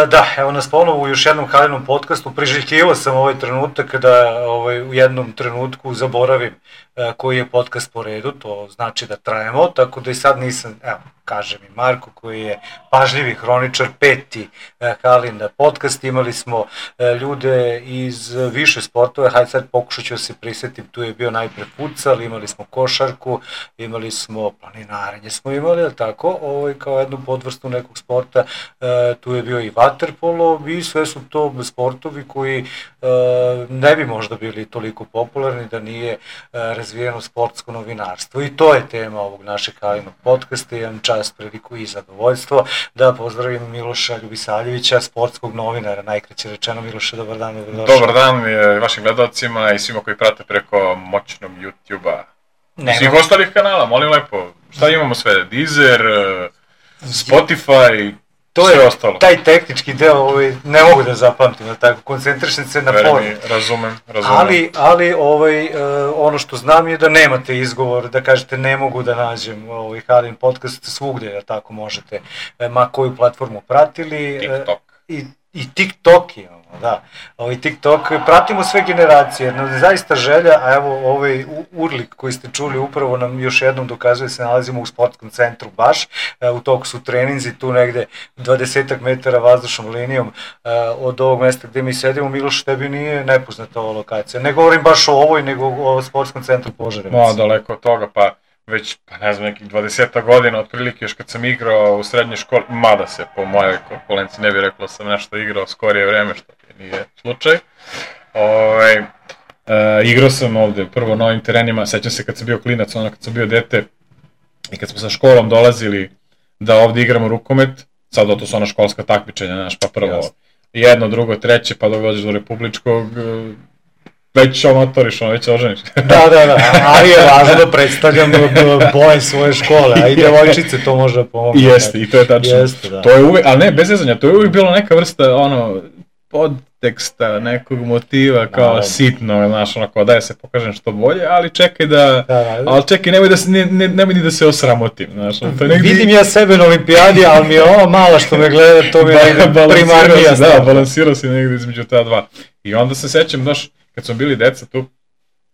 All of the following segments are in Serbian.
Da, evo nas ponovo u još jednom Halinom podcastu. Priželjkivao sam ovaj trenutak da u jednom trenutku zaboravim koji je podcast po redu, to znači da trajemo, tako da i sad nisam, evo, kaže mi Marko koji je pažljivi hroničar, 5. Halin podcast, imali smo ljude iz više sportova, hajde sad pokušat ću se prisetim, tu je bio najpre futsal, imali smo košarku, imali smo planinarenje smo imali, ali tako, kao jednu podvrstu nekog sporta, tu je bio i vaterpolo i sve su to sportovi koji ne bi možda bili toliko popularni da nije razvijeno sportsko novinarstvo. I to je tema ovog našeg Halinog podcasta. Imam čast, priliku i zadovoljstvo da pozdravim Miloša Ljubisaljevića, sportskog novinara, najkraće rečeno. Miloše, dobar dan. Dobar dan vašim gledalcima i svima koji prate preko moćnog YouTube-a. Svih ostalih kanala, molim lepo. Šta imamo sve? Deezer, Spotify, to je ostalo. Taj tehnički deo ne mogu da zapamtim, tako, koncentrišem se na formu. Razumem. Ali ono što znam je da nemate izgovor, da kažete ne mogu da nađem Halin podcast svugde, tako možete, ma koju platformu pratili. TikTok. I TikTok imamo, da. TikTok, pratimo sve generacije, zaista želja, a evo urlik koji ste čuli upravo nam još jednom dokazuje se nalazimo u sportskom centru baš, u toku su treninzi, tu negde 20 metara vazdušnom linijom od ovog mesta gde mi sedimo. Miloš, tebi nije nepoznata ova lokacija, ne govorim baš o ovoj, nego o sportskom centru Požarevac. No, daleko od toga, pa već, ne znam, nekih 20 godina, otprilike još kad sam igrao u srednjoj školi, mada se po mojoj konkurenciji ne bih rekao sam nešto igrao skorije vreme, što nije slučaj. Igrao sam ovde prvo na ovim terenima, sećam se kad sam bio klinac, kad sam bio dete i kad smo sa školom dolazili da ovde igramo rukomet, sad to su ona školska takmičenja, pa prvo jedno, drugo, treće, pa dok dođeš do republičkog, već amatoriš, već oženiš. Da, ali je važno da predstavljam boje svoje škole, a i devojčice to može da pomoći. Jeste, i to je tačno. To je uvijek, ali ne, bez zezanja, to je uvijek bilo neka vrsta, podteksta, nekog motiva, kao sitno, znaš, kao da se pokažem što bolje, ali čekaj ali čekaj, nemoj ni da se osramotim, znaš. Vidim ja sebe na olimpijadi, ali mi je ovo mala što me gleda, to mi je primarnija stvar. Da, balansirao si negdje između ta dva. I onda se sećam, kad smo bili deca tu,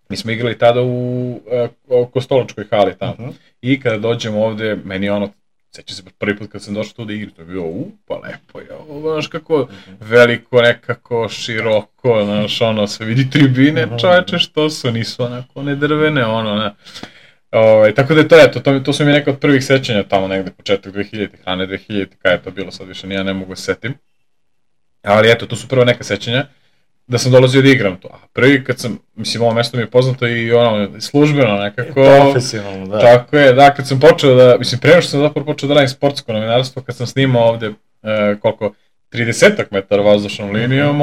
mi smo igrali tada u Kostolačkoj hali tamo. I kada dođemo ovde, meni sećam se prvi put kad sam došao tu da igram, to je bilo pa lepo je ovo, znaš kako veliko, nekako široko, znaš sve vidi tribine, čoveče što su, nisu onako ne drvene, tako da je to, eto, to su mi neka od prvih sećanja tamo negde početak 2000, hrane 2000, kada je to bilo, sad više ja ne mogu se setim. Ali eto, to su prvo neka sećanja. Da sam dolazio da igram to. A prvi kad sam, mislim, ovo mesto mi je poznato i službeno nekako. Profesionalno, da. Tako je, da, kad sam počeo da, mislim, prema što sam zapravo počeo da radim sportsko novinarstvo, kad sam snimao ovde, 30 metara vazdušnom linijom,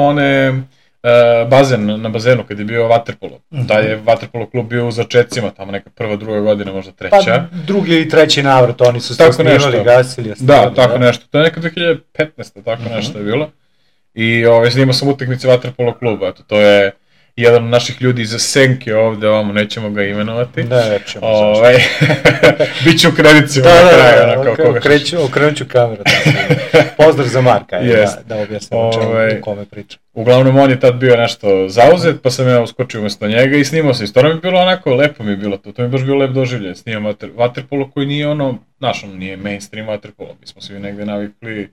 bazen, na bazenu kad je bio vaterpolo. Da je vaterpolo klub bio u začecima, tamo neka prva, druga godina, možda treća. Pa drugi i treći navrat, oni su se snimali, gasili. Da, tako nešto. To je neka 2015. tako nešto je bilo. I snimao sam utakmice vaterpolo kluba, to je jedan od naših ljudi iza senke ovde, nećemo ga imenovati. Nećemo, Biće u kredicima na kraju. Okrenut ću kameru. Pozdrav za Marka, da objasnim o kome pričam. Uglavnom, on je tad bio nešto zauzet, pa sam ja uskočio umjesto njega i snimao sam. I stvarno mi je bilo onako, lepo mi je bilo to. To mi je baš bilo lep doživljaj. Snimam vaterpolo koji nije nije mainstream vaterpolo. Mi smo svi negde navikli.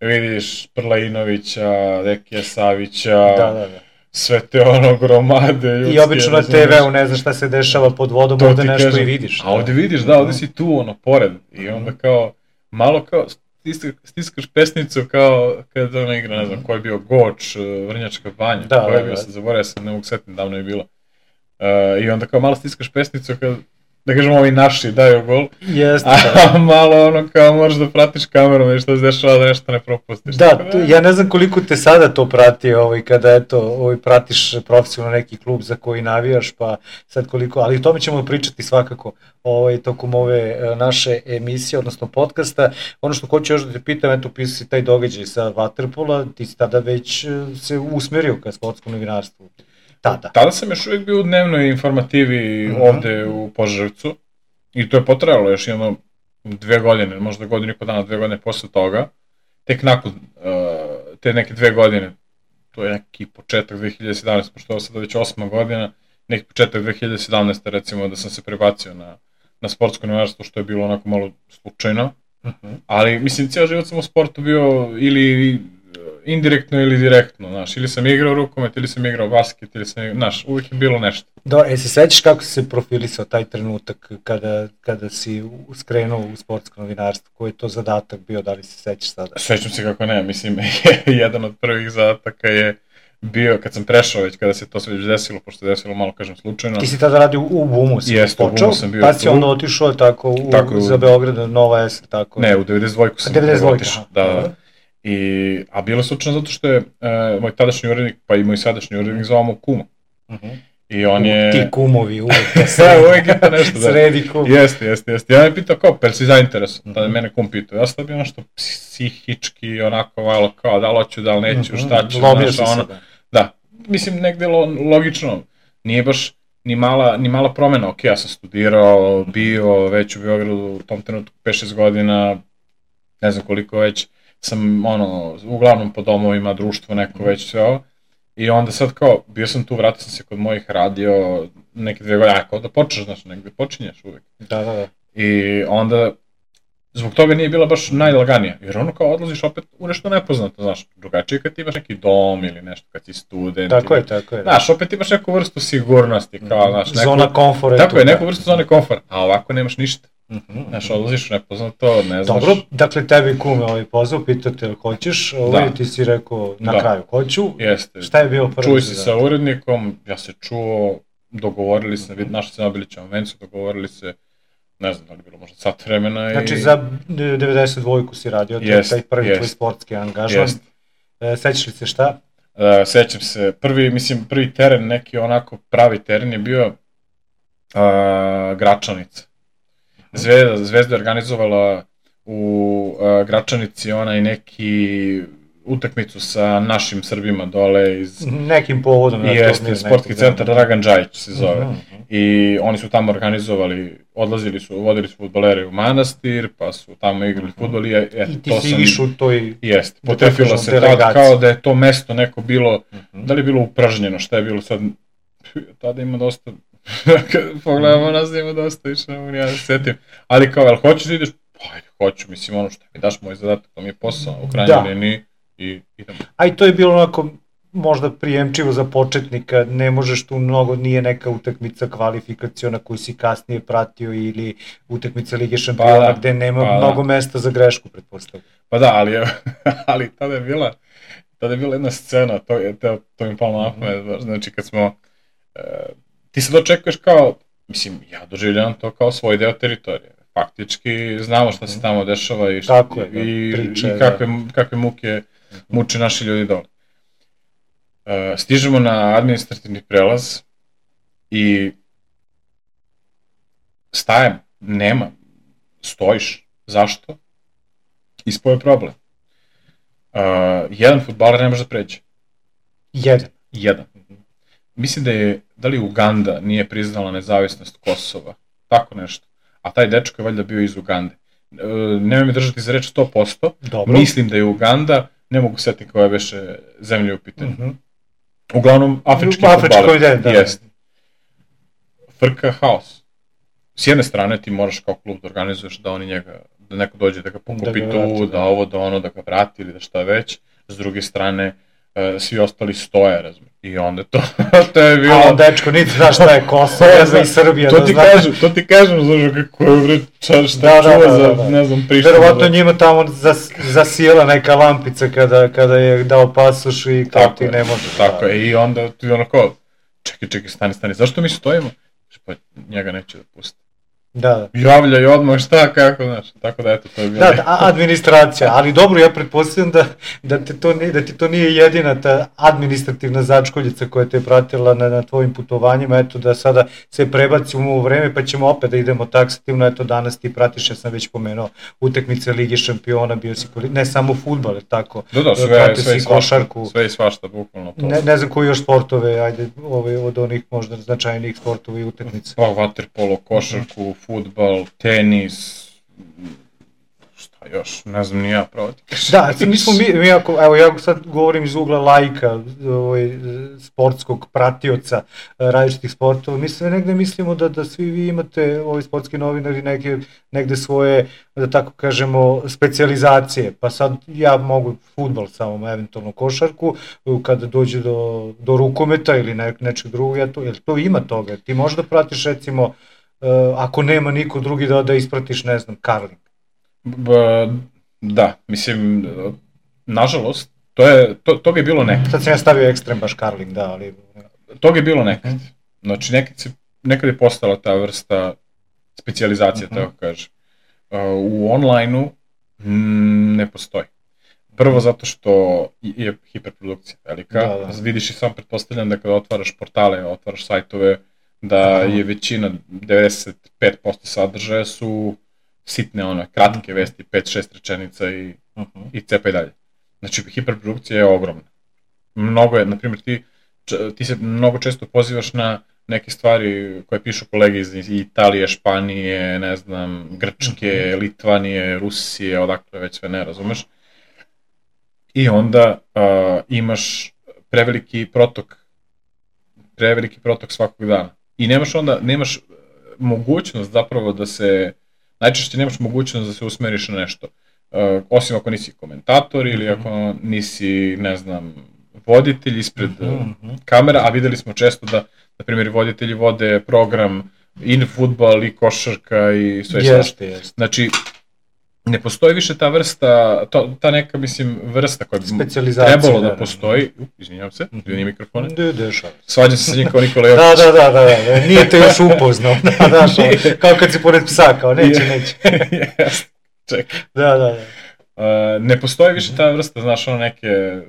Vidiš Prlainovića, Dekija Savića, sve te gromade ljudske. I obično na TV-u ne znaš šta se dešava pod vodom, ovde nešto i vidiš. A ovde vidiš, ovde si tu, pored. I onda kao, malo kao, stiskaš pesnicu kao kada igra, ne znam, ko je bio Goč, Vrnjačka banja, ko je bio, sad zaboravio sam, ne mogu setiti, davno je bilo. I onda kao malo stiskaš pesnicu kada, da kažemo, ovi naši daju gol, a malo kao moraš da pratiš kamerom i što se dešava da nešto ne propustiš. Da, ja ne znam koliko te sada to prati, kada pratiš profesionalno neki klub za koji navijaš, pa sad koliko, ali o tome ćemo pričati svakako tokom ove naše emisije, odnosno podcasta. Ono što hoću još da te pitam, eto, pisao si taj događaj sa vaterpola, ti si tada već se usmerio ka sportskom novinarstvu. Tada sam još uvijek bio u dnevnoj informativi ovde u Požarevcu i to je potrajalo još 2 godine, možda godinu i po dana, 2 godine posle toga. Tek nakon te neke 2 godine, to je neki početak 2017, pošto ovo sada već 8. godina, neki početak 2017. recimo da sam se prebacio na sportsko novinarstvo, što je bilo onako malo slučajno, ali mislim cijel život sam u sportu bio ili indirektno ili direktno, znaš, ili sam igrao rukomet, ili sam igrao basket, ili sam igrao, znaš, uvijek je bilo nešto. Dobro, se sećaš kako si se profilisao taj trenutak kada si skrenuo u sportsko novinarstvo? Koji je to zadatak bio, da li se sećaš sada? Sećam se kako ne, mislim, jedan od prvih zadataka je bio, kad sam prešao već, kada se to sve već desilo, pošto se desilo malo, kažem, slučajno. Ti si tada radio u BUM-u, si Jeste, počeo, u BUM-u sam bio. Pa si onda otišao tako za Beograd, Nova S, tako? Ne, u 92 sam 92, otišao, da. A bilo je slučajno zato što je moj tadašnji urednik, pa i moj sadašnji urednik zvao mu kuma. I on je... Ti kumovi, uvijek to uvijek je to nešto, da. Sredi kum. Jeste. Ja me pitao kao, per si zainteresovan, tada mene kum pitao. Ja sam to bio nešto psihički, onako malo kao, da li hoću, da li neću, šta ću, lomio si se, da. Mislim, negde logično, nije baš ni mala promena, ok, ja sam studirao, bio već u Beogradu u tom trenutku 5-6 godina, ne znam koliko već, sam uglavnom po domovima, društvo neko već sve ovo. I onda sad kao, bio sam tu, vratio sam se kod mojih, radio neke 2 godine, kao da počneš, znaš, negde počinješ uvek. Da. I onda, zbog toga nije bila baš najlaganija, jer ono kao odlaziš opet u nešto nepoznato, znaš, drugačije kad imaš neki dom ili nešto, kad si student. Tako je. Znaš, opet imaš neku vrstu sigurnosti, kao, znaš, zona komfora. Tako je, neku vrstu zone komfora, a ovako nemaš ništa. Znaš, odlaziš u nepoznato, ne znaš. Dobro, dakle tebi kume pozvao, pitao te hoćeš, ti si rekao na kraju hoću. Jeste. Šta je bio prvi? Čuj si sa urednikom, ja se čuo, dogovorili se, našli se na Obilićevom vencu, dogovorili se, ne znam da li bilo možda sat vremena. Znači za 92-ku si radio, taj prvi tvoj sportski angažman. Sećaš li se šta? Sećam se, prvi teren, neki onako pravi teren je bio Gračanica. Zvezda je organizovala u Gračanici onaj neki utakmicu sa našim Srbima dole iz... Nekim povodom. Jeste, sportski centar Dragan Džajić se zove. I oni su tamo organizovali, vodili su fudbalere u manastir, pa su tamo igrali fudbal i ti si išao u toj... Jeste, potrefilo se tad kao da je to mesto neko bilo, da li je bilo upražnjeno, šta je bilo sad, tada ima dosta... Kad pogledamo nas ima dosta, više ne mogu ja da se setim. Ali kao, jel hoćeš da ideš? Pa ajde, hoću, mislim ono što mi daš moj zadatak, to mi je posao u krajnjoj liniji i idemo. A i to je bilo onako možda prijemčivo za početnika, ne možeš tu mnogo, nije neka utakmica kvalifikaciona koju si kasnije pratio ili utakmica Lige šampiona gde nema mnogo mesta za grešku, pretpostavljam. Pa da, ali tada je bila jedna scena, to mi palo na pamet, znači kad smo... Ti se dočekuješ kao, mislim, ja doživljavam to kao svoj deo teritorije. Faktički znamo šta se tamo dešava i kakve muke muče naši ljudi dole. Stižemo na administrativni prelaz i stajem, nema, stojiš. Zašto? Ispao je problem. Jedan fudbaler ne može da pređe. Jedan. Mislim da li Uganda nije priznala nezavisnost Kosova, tako nešto, a taj dečko je valjda bio iz Ugande. Nemoj mi držati za reč 100%, mislim da je Uganda, ne mogu setiti koja beše zemlje u pitanju. Uglavnom, afrički fudbaler. Jeste. Frka haos. S jedne strane ti moraš kao klub da organizuješ da oni njega, da neko dođe da ga pokupi tu, da ovo, da ono, da ga vrati ili da šta već. S druge strane, svi ostali stoje, razumiješ. I onda to je bilo... A dečko, niti znaš šta je Kosovo, ne znam i Srbija. To ti kažem, znaš kako je šta čuva za, ne znam, Prištinu. Verovatno njima tamo zasijela neka lampica kada je dao pasoš i kao ti ne možeš. Tako je, i onda ti onako, čekaj, stani, zašto mi stojimo? Pa njega neće da pusti. Da. Javljaj odmah šta, kako, znaš, tako da eto, to je bilo. Da, administracija, ali dobro, ja pretpostavljam da ti to nije jedina ta administrativna začkoljica koja te je pratila na tvojim putovanjima, eto da sada se prebacimo u vreme pa ćemo opet da idemo taksativno, eto danas ti pratiš, ja sam već pomenuo, utakmice Lige šampiona, bio si, ne samo fudbal, je tako? Da, sve i svašta, bukvalno to. Ne znam koji još sportove, ajde, od onih možda značajnijih sportova i utakmice. Pa, vaterpolo, košarku, fudbal, tenis, Šta još, ne znam ni ja pravo ti kažem. Da, evo ja sad govorim iz ugla laika, sportskog pratioca različitih sportova, negde mislimo da svi vi imate, ovi sportski novinari, negde svoje, da tako kažemo, specijalizacije, pa sad ja mogu fudbal samo, eventualno košarku, kada dođe do rukometa ili nečeg drugog, jer to ima toga, ti možeš da pratiš recimo, ako nema niko drugi da ispratiš, ne znam, karling. Da, mislim, nažalost, to je bilo nekad. Sad sam ja stavio ekstrem baš karling, da, ali... To je bilo nekad. Znači, nekad je postala ta vrsta specijalizacije, tako kaže. U online-u ne postoji. Prvo zato što je hiperprodukcija velika. Vidiš i sam, pretpostavljam da kada otvaraš portale, otvaraš sajtove, da je većina, 95% sadržaja su sitne, kratke vesti, 5-6 rečenica i cepaj dalje. Znači, hiperprodukcija je ogromna. Mnogo je, na primjer, ti se mnogo često pozivaš na neke stvari koje pišu kolege iz Italije, Španije, ne znam, Grčke, Litvanije, Rusije, odakle već sve ne razumeš. I onda imaš preveliki protok svakog dana. I nemaš mogućnost zapravo da se, najčešće nemaš mogućnost da se usmeriš na nešto. Osim ako nisi komentator ili ako nisi, ne znam, voditelj ispred kamera, a videli smo često da, na primjer, voditelji vode program i fudbal i košarka i sve svašta. Znači, ne postoji više ta vrsta, ta neka, mislim, vrsta koja bi trebalo da postoji. Izvinjam se, dvijeni mikrofone. Svađam se sa njim kao Nikola Jokić. Da, nije te još upoznao. Kao kad si pored psa, kao neće. Čekaj. Da. Ne postoji više ta vrsta, znaš, neke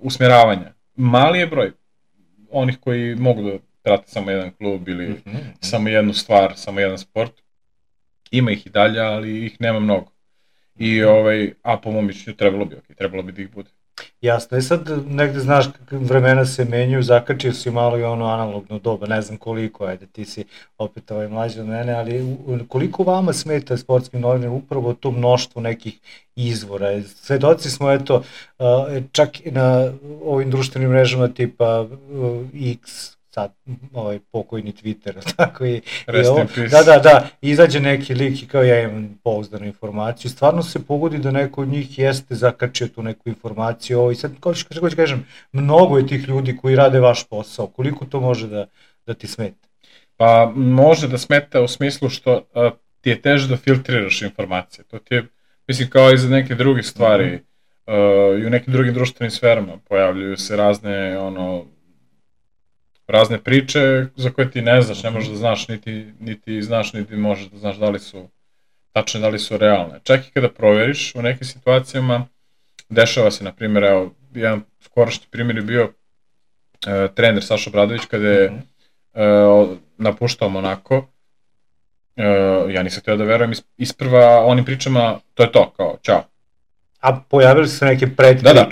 usmjeravanja. Mali je broj onih koji mogu da prate samo jedan klub ili samo jednu stvar, samo jedan sport. Ima ih i dalje, ali ih nema mnogo. A po mom mišljenju trebalo bi da ih bude. Jasno, i sad negde znaš vremena se menjaju, zakačio si malo i ono analogno doba, ne znam koliko, ajde ti si opet mlađi od mene, ali koliko vama smeta sportskim novinarima upravo to mnoštvo nekih izvora? Svedoci smo, eto, čak i na ovim društvenim mrežama tipa X, sad, pokojni Twitter, tako i ovo. Da, izađe neki lik i kao ja imam pouzdanu informaciju, stvarno se pogodi da neko od njih jeste zakačio tu neku informaciju, i sad, kako ću kažem, mnogo je tih ljudi koji rade vaš posao, koliko to može da ti smeta? Pa, može da smeta u smislu što ti je teže da filtriraš informacije, to ti je, mislim, kao i za neke druge stvari, i u nekim drugim društvenim sferama pojavljuju se razne priče za koje ti ne znaš, ne možeš da znaš, niti znaš, niti možeš da znaš da li su tačne, da li su realne. Čak i kada proveriš u nekim situacijama, dešava se, na primjer, evo, jedan skorašnji primjer je bio trener Saša Obradović kada je napuštao Monako. Ja nisam htio da verujem, isprva onim pričama, to je to, kao, čao. A pojavili su se neke predpriče? Da,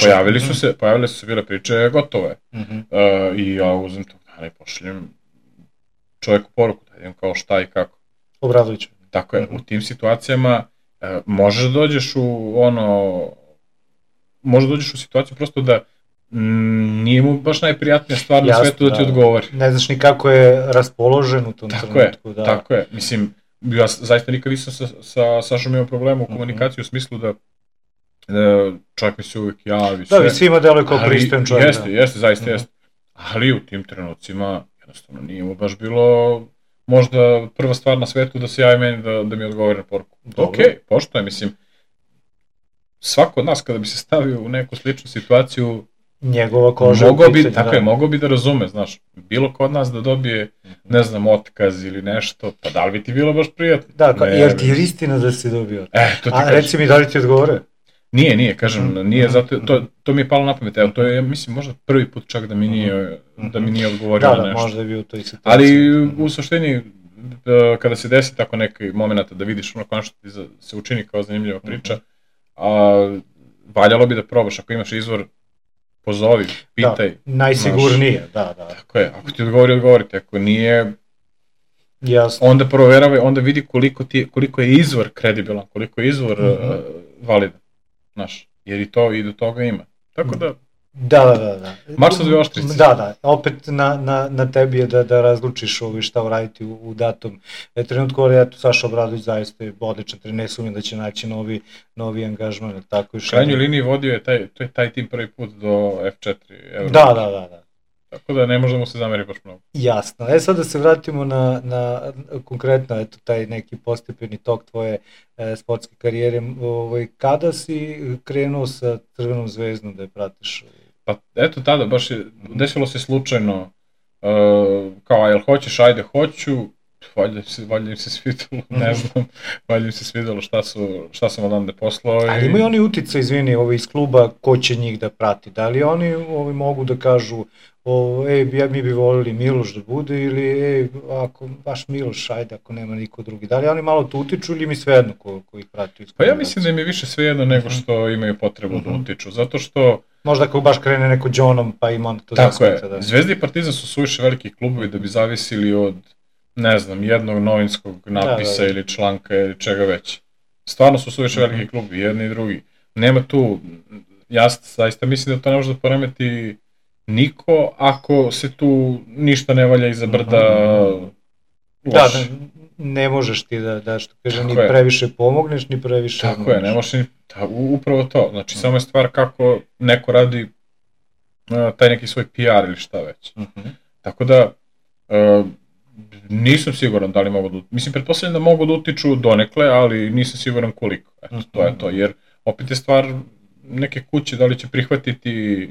pojavili su se bile priče, gotovo je. I ja uzem to dana i pošaljem čovjeku poruku, da vidim kao šta i kako. Obradoviću. Tako je, u tim situacijama možeš da dođeš u situaciju prosto da nije mu baš najprijatnija stvar na svetu da ti odgovori. Ne znaš ni kako je raspoložen u tom trenutku. Tako je, mislim, ja zaista nikad nisam sa Sašom imao problema u komunikaciji u smislu da čovjek mi se uvijek javi. Da, vi svima deluje kao pristojan čovjek. Jeste, zaista jeste. Ali u tim trenucima jednostavno nije mu baš bilo možda prva stvar na svetu da se javi meni da mi odgovori na poruku. Okej, poštoje, mislim, svako od nas kada bi se stavio u neku sličnu situaciju, njegova koža mogao bi da razume, znaš, bilo ko od nas da dobije, ne znam, otkaz ili nešto, pa da li bi ti bilo baš prijatno? Da, jer ti je istina da si dobio otkaz. A reci mi, da li ti odgovore? Nije, kažem, nije, zato, to mi je palo na pamet, evo, to je, mislim, možda prvi put čak da mi nije odgovorio na nešto. Da, možda je bio u toj situaciji. Ali, u suštini, kada se desi tako neki moment da vidiš ono konačno ti se učini kao zanimljiva priča, valjalo bi da probaš, ako imaš izvor, pozovi, pitaj. Da, najsigurnije, da. Tako je, ako ti odgovorite, ako nije, Jasno. Onda proveravaj, onda vidi koliko je izvor kredibilan, koliko je izvor validan, znaš, jer i do toga ima. Tako da... Da. Marsovi oštrici. Da, opet na tebi je da razlučiš šta uraditi u datom trenutku, ali eto, Saša Obradović zaista je odličan trener, ne sumnjam da će naći novi angažman, tako još. U krajnjoj liniji vodio je taj tim prvi put do F4 Euro. Da. Tako da ne može da mu se zameri baš mnogo. Jasno. Sad da se vratimo na konkretno, eto, taj neki postepeni tok tvoje sportske karijere. Kada si krenuo sa Crvenom zvezdom da je pratiš? Pa eto tada, baš je, desilo se slučajno, kao, jel hoćeš, ajde hoću, valjda im se svidalo, ne znam, valjda im se svidalo šta sam odande poslao. Ali imaju oni uticaj, izvini, iz kluba, ko će njih da prati? Da li oni mogu da kažu, mi bi volili Miloš da bude, ili ako baš Miloš, ajde, ako nema niko drugi. Da li oni malo to utiču ili mi svejedno ko ih prati? Pa ja mislim da im je više svejedno nego što imaju potrebu da utiču, zato što... Možda ako baš krene neko Đonom, pa ima onda to zasmeta. Tako je, Zvezda i Partizan su suviše veliki klubovi da bi zavisili od, ne znam, jednog novinskog napisa ili članka ili čega već. Stvarno su suviše veliki klubovi, jedni i drugi. Nema tu, ja zaista mislim da to ne može da poremeti niko ako se tu ništa ne valja iza brda loš. Da, ne možeš ti da što kaže, ni previše pomogneš, ni previše... Tako je, ne možeš ni... Upravo to, znači samo je stvar kako neko radi taj neki svoj PR ili šta već. Tako da, nisam siguran da li mogu da... Mislim, pretpostavljam da mogu da utiču donekle, ali nisam siguran koliko. Eto, to je to, jer opet je stvar neke kuće, da li će prihvatiti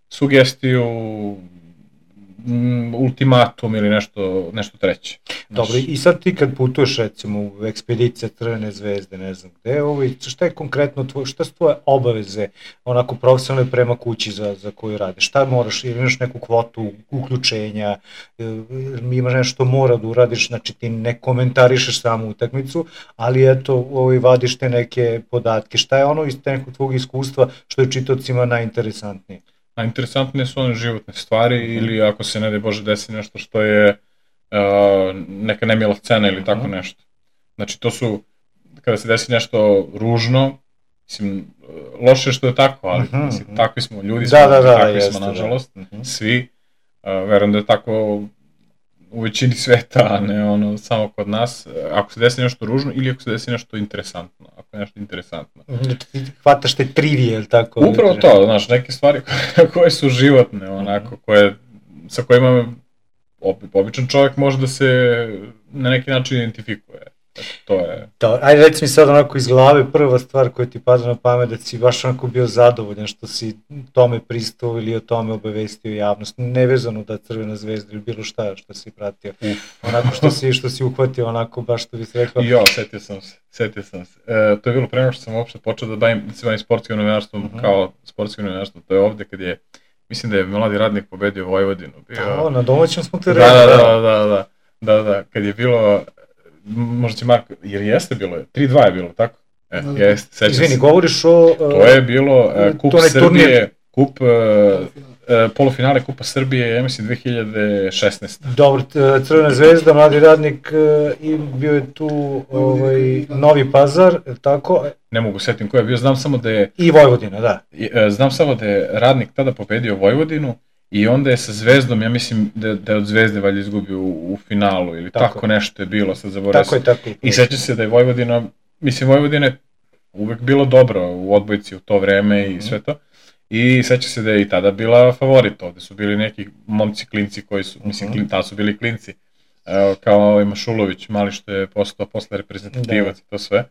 sugestiju, ultimatum ili nešto treće. Dobro, i sad ti kad putuješ recimo u ekspedicije Crvene zvezde, ne znam gde, šta je konkretno šta su tvoje obaveze onako profesionalne prema kući za koju radiš? Šta moraš, ili imaš neku kvotu uključenja, imaš nešto mora da uradiš, znači ti ne komentarišeš samu utakmicu, ali eto, vadiš te neke podatke. Šta je ono iz nekog tvog iskustva što je čitaocima najinteresantnije? Najinteresantnije su one životne stvari ili ako se ne daj Bože desi nešto što je neka nemila scena ili tako nešto. Znači to su, kada se desi nešto ružno, mislim, loše što je tako, ali mislim, takvi smo, ljudi smo, takvi smo nažalost, svi. Verujem da je tako u većini sveta, a ne samo kod nas. Ako se desi nešto ružno ili ako se desi nešto interesantno. Ako je nešto interesantno. Hvataš te trivije, ili tako? Upravo to, znaš, neke stvari koje su životne, onako, sa kojima običan čovjek može da se na neki način identifikuje. To je... Ajde, reci mi sad onako iz glave, prva stvar koja ti pada na pamet, da si baš onako bio zadovoljan što si tome pristao ili o tome obavestio javnost, nevezano da Crvena zvezda ili bilo šta što si pratio, onako što si uhvatio, onako baš što bi se rekao. Jo, setio sam se. To je bilo pre nego što sam uopšte počeo da se bavim sportskim novinarstvom kao sportskim novinarstvom, to je ovde kad je, mislim da je Mladi radnik pobedio Vojvodinu. Na domaćem smo te rekli. Da, kad je bilo... Možda će Marko, jer jeste bilo, 3-2 je bilo, tako? Jeste, sećam se. Izvini, govoriš o... To je bilo Kup Srbije, polufinale Kupa Srbije, ja mislim 2016. Dobro, Crvena zvezda, Mladi radnik, i bio je tu Novi Pazar, tako? Ne mogu setim ko je bio, znam samo da je... I Vojvodina, da. Znam samo da je radnik tada pobedio Vojvodinu, i onda je sa Zvezdom, ja mislim da je od Zvezde valjda izgubio u finalu ili tako nešto je bilo, sad zaboravim se. Tako. I seća se da je Vojvodina, mislim Vojvodina je uvek bilo dobro u odbojci u to vreme i sve to. I seća se da je i tada bila favorit, ovde su bili neki momci klinci koji su, mislim tada su bili klinci, kao Mašulović, mali što je postao posle reprezentativac i to sve.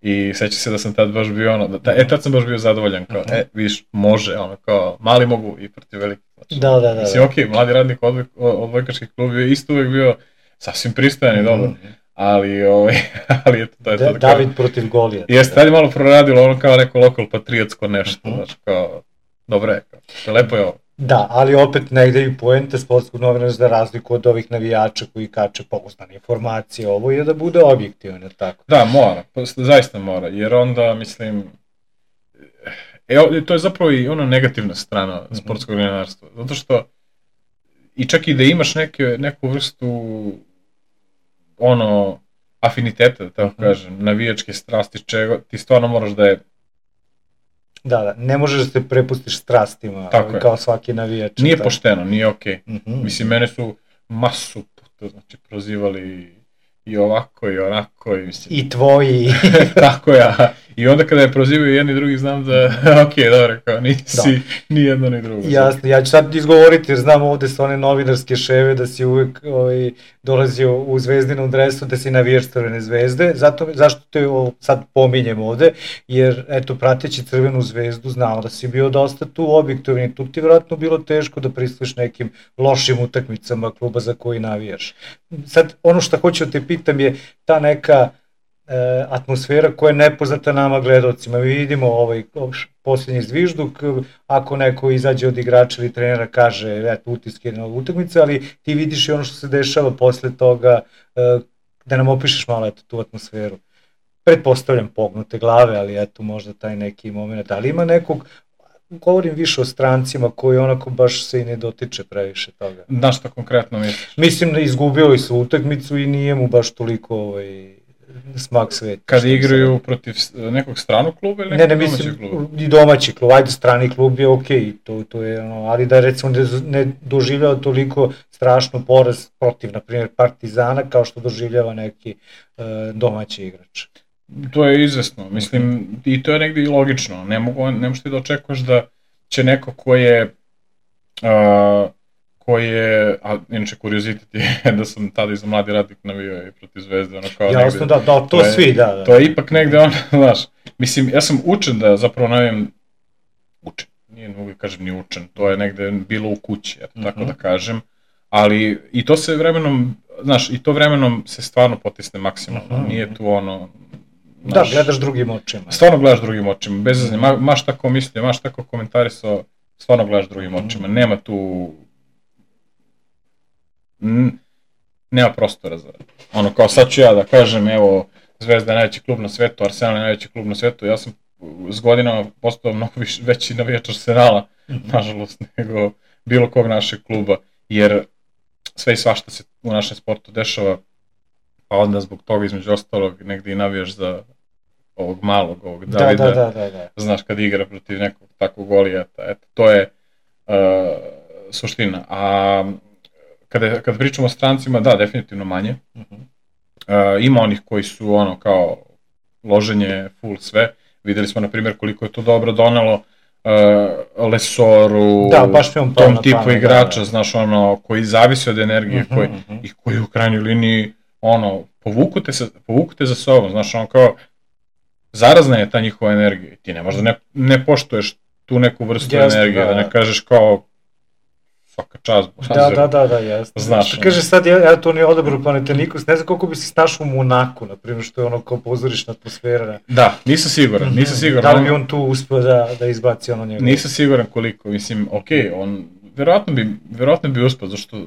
I seća se da sam tad baš bio tad sam baš bio zadovoljan, kao, vidiš, može, kao, mali mogu i protiv veliki. Da. Mislim, okej, Mladi radnik odbojkaški klub je isto uvek bio sasvim pristojan i dobro, ali eto, to je to. David protiv Golija. Jeste, tad je malo proradilo, kao neko lokal patriotsko nešto, znaš, kao, dobro je, lepo je ovo. Da, ali opet negde i poente sportskog novinara za razliku od ovih navijača koji kače pouzdane informacije, ovo je da bude objektivno, tako? Da, mora, zaista mora, jer onda, mislim, to je zapravo i ona negativna strana sportskog novinarstva, zato što i čak i da imaš neku vrstu afiniteta, da tako kažem, navijačke strasti, čega, ti stvarno moraš da je... Da, ne možeš da se prepustiš strastima, kao svaki navijač. Nije pošteno, nije okej. Mislim, mene su masu puta, znači, prozivali i ovako i onako. I tvoji. Tako ja. I onda kada je prozivaju jedni drugi, znam da, dobro, kao nisi ni jedno ni drugo. Jasno, ja ću sad izgovoriti jer znam ovde su one novinarske ševe da si uvek dolazio u zvezdinom dresu, da si navijač Crvene zvezde. Zašto te sad pominjem ovde? Jer, eto, prateći Crvenu zvezdu, znamo da si bio dosta tu objektivni. Tu ti vjerojatno bilo teško da pristuješ nekim lošim utakmicama kluba za koji navijaš. Sad, ono što hoću da te pitam je ta neka atmosfera koja je nepoznata nama gledalcima. Mi vidimo posljednji zvižduk, ako neko izađe od igrača ili trenera kaže eto utiske na utakmice, ali ti vidiš i ono što se dešava posle toga, da nam opišeš malo eto tu atmosferu. Pretpostavljam pognute glave, ali eto možda taj neki moment. Da li ima nekog, govorim više o strancima koji onako baš se i ne dotiče previše toga. Da, što konkretno misliš? Mislim da izgubio i su utakmicu i nije mu baš toliko smak sveta. Kada igraju protiv nekog stranog kluba ili nekog domaćeg kluba? I domaći klub, ajde strani klub je okej, to je ali da recimo ne doživljava toliko strašno poraz protiv, na primjer, Partizana kao što doživljava neki domaći igrač. To je izvesno, mislim, i to je negdje i logično, ne možeš ti da očekuješ da će neko ko je, a inače kuriozitet je da sam tada iz Mladi Radnik navio i protiv Zvezde, ono kao negde. Jasno, da, to svi, da. To je ipak negde ono, znaš, mislim, ja sam učen da zapravo navijem, nije mogu kažem ni učen, to je negde bilo u kući, tako da kažem, ali i to se vremenom, znaš, i to vremenom se stvarno potisne maksimalno, nije tu ono... Da, gledaš drugim očima. Stvarno gledaš drugim očima, bez zazne, maš tako mislio, maš tako komentarisao, stvarno gledaš drugim očima, nema tu... Nema prostora za... Ono, kao sad ću ja da kažem, evo, Zvezda je najveći klub na svetu, Arsenal je najveći klub na svetu, ja sam s godinama postao mnogo veći navijač Arsenala, nažalost, nego bilo kog našeg kluba, jer sve i svašta se u našem sportu dešava, pa onda zbog toga između ostalog negdje i navijaš za ovog malog, ovog Davida, da. Znaš, kad igra protiv nekog takvog golijata, eto, to je suština. A kada pričamo o strancima, da, definitivno manje. Ima onih koji su ono kao loženje, full sve. Videli smo, na primjer, koliko je to dobro donalo Lesoru, tom tipu igrača, znaš, ono, koji zavisi od energije, i koji u krajnjoj liniji, ono, povuku te za sobom, znaš, ono kao, zarazna je ta njihova energija. Ti ne možda ne poštuješ tu neku vrstu energije, da ne kažeš kao, svaka čast. Da, jasno. Znaš, kaže sad, ja to nije odabro Panathinaikos, ne znam koliko bi se snašao u Monaku, na primjer, što je ono kao pozorišna atmosfera. Da, nisam siguran. Da li bi on tu uspio da izbaci ono njegov? Nisam siguran koliko, mislim, okej, on vjerojatno bi uspio, zašto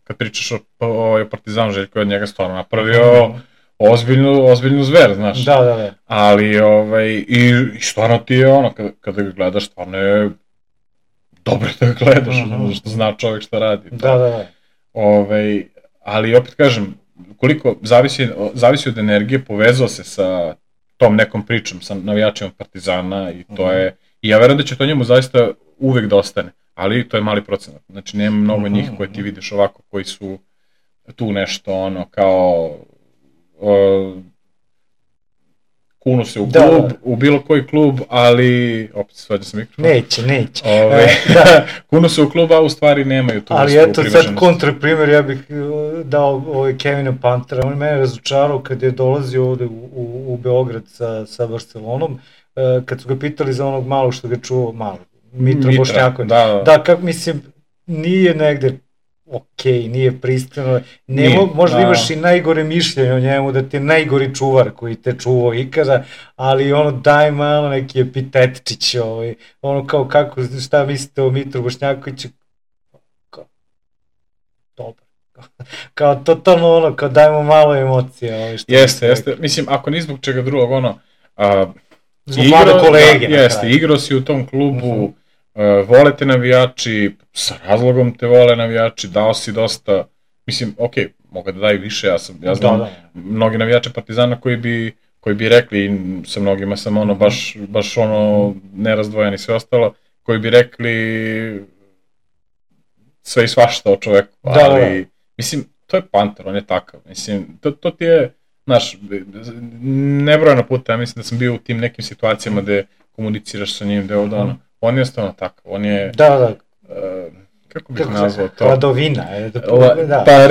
kad pričaš o Partizanu, Željko je od njega stvarno napravio ozbiljnu zver, znaš. Da. Ali, i stvarno ti je ono, kada ga gledaš, stvarno je dobro da ga gledaš, što zna čovjek šta radi. Da. Ali opet kažem, koliko zavisi od energije, povezao se sa tom nekom pričom, sa navijačima Partizana i to je, i ja verujem da će to njemu zaista uvek da ostane, ali to je mali procenat, znači nema mnogo njih koje ti vidiš ovako, koji su tu nešto ono kao kunu se u klub, u bilo koji klub, ali opet svađa se mikrofon. Neće. Kunu se u klub, a u stvari nemaju tu vrstu privrženosti. Ali eto sad kontraprimer, ja bih dao Kevina Pantera, on mene razočarao kad je dolazio ovde u Beograd sa Barcelonom, kad su ga pitali za onog malog što ga čuo, Mitra Bošnjaković. Da, mislim, nije negde okej, nije pristojno, možda imaš i najgore mišljenje o njemu, da ti je najgori čuvar koji te čuvao ikada, ali ono daj malo neki epitetčić, ono kao šta mislite o Mitru Bošnjakoviću, dobro, kao totalno ono, kao dajmo malo emocije. Jeste, mislim, ako ni zbog čega drugog, ono, zbog mlade kolege. Jeste, igrao si u tom klubu, vole te navijači, sa razlogom te vole navijači, dao si dosta, mislim, okej, mogu da daju više, ja znam mnogi navijače Partizana koji bi rekli, sa mnogima sam ono baš ono nerazdvojen i sve ostalo, koji bi rekli sve i svašta o čoveku, ali mislim, to je Panter, on je takav, mislim, to ti je, znaš, nebrojeno puta, ja mislim da sam bio u tim nekim situacijama gde komuniciraš sa njim, gde ovdje ono, on je jednostavno takav, on je, kako bih nazvao to? Hladovina. Pa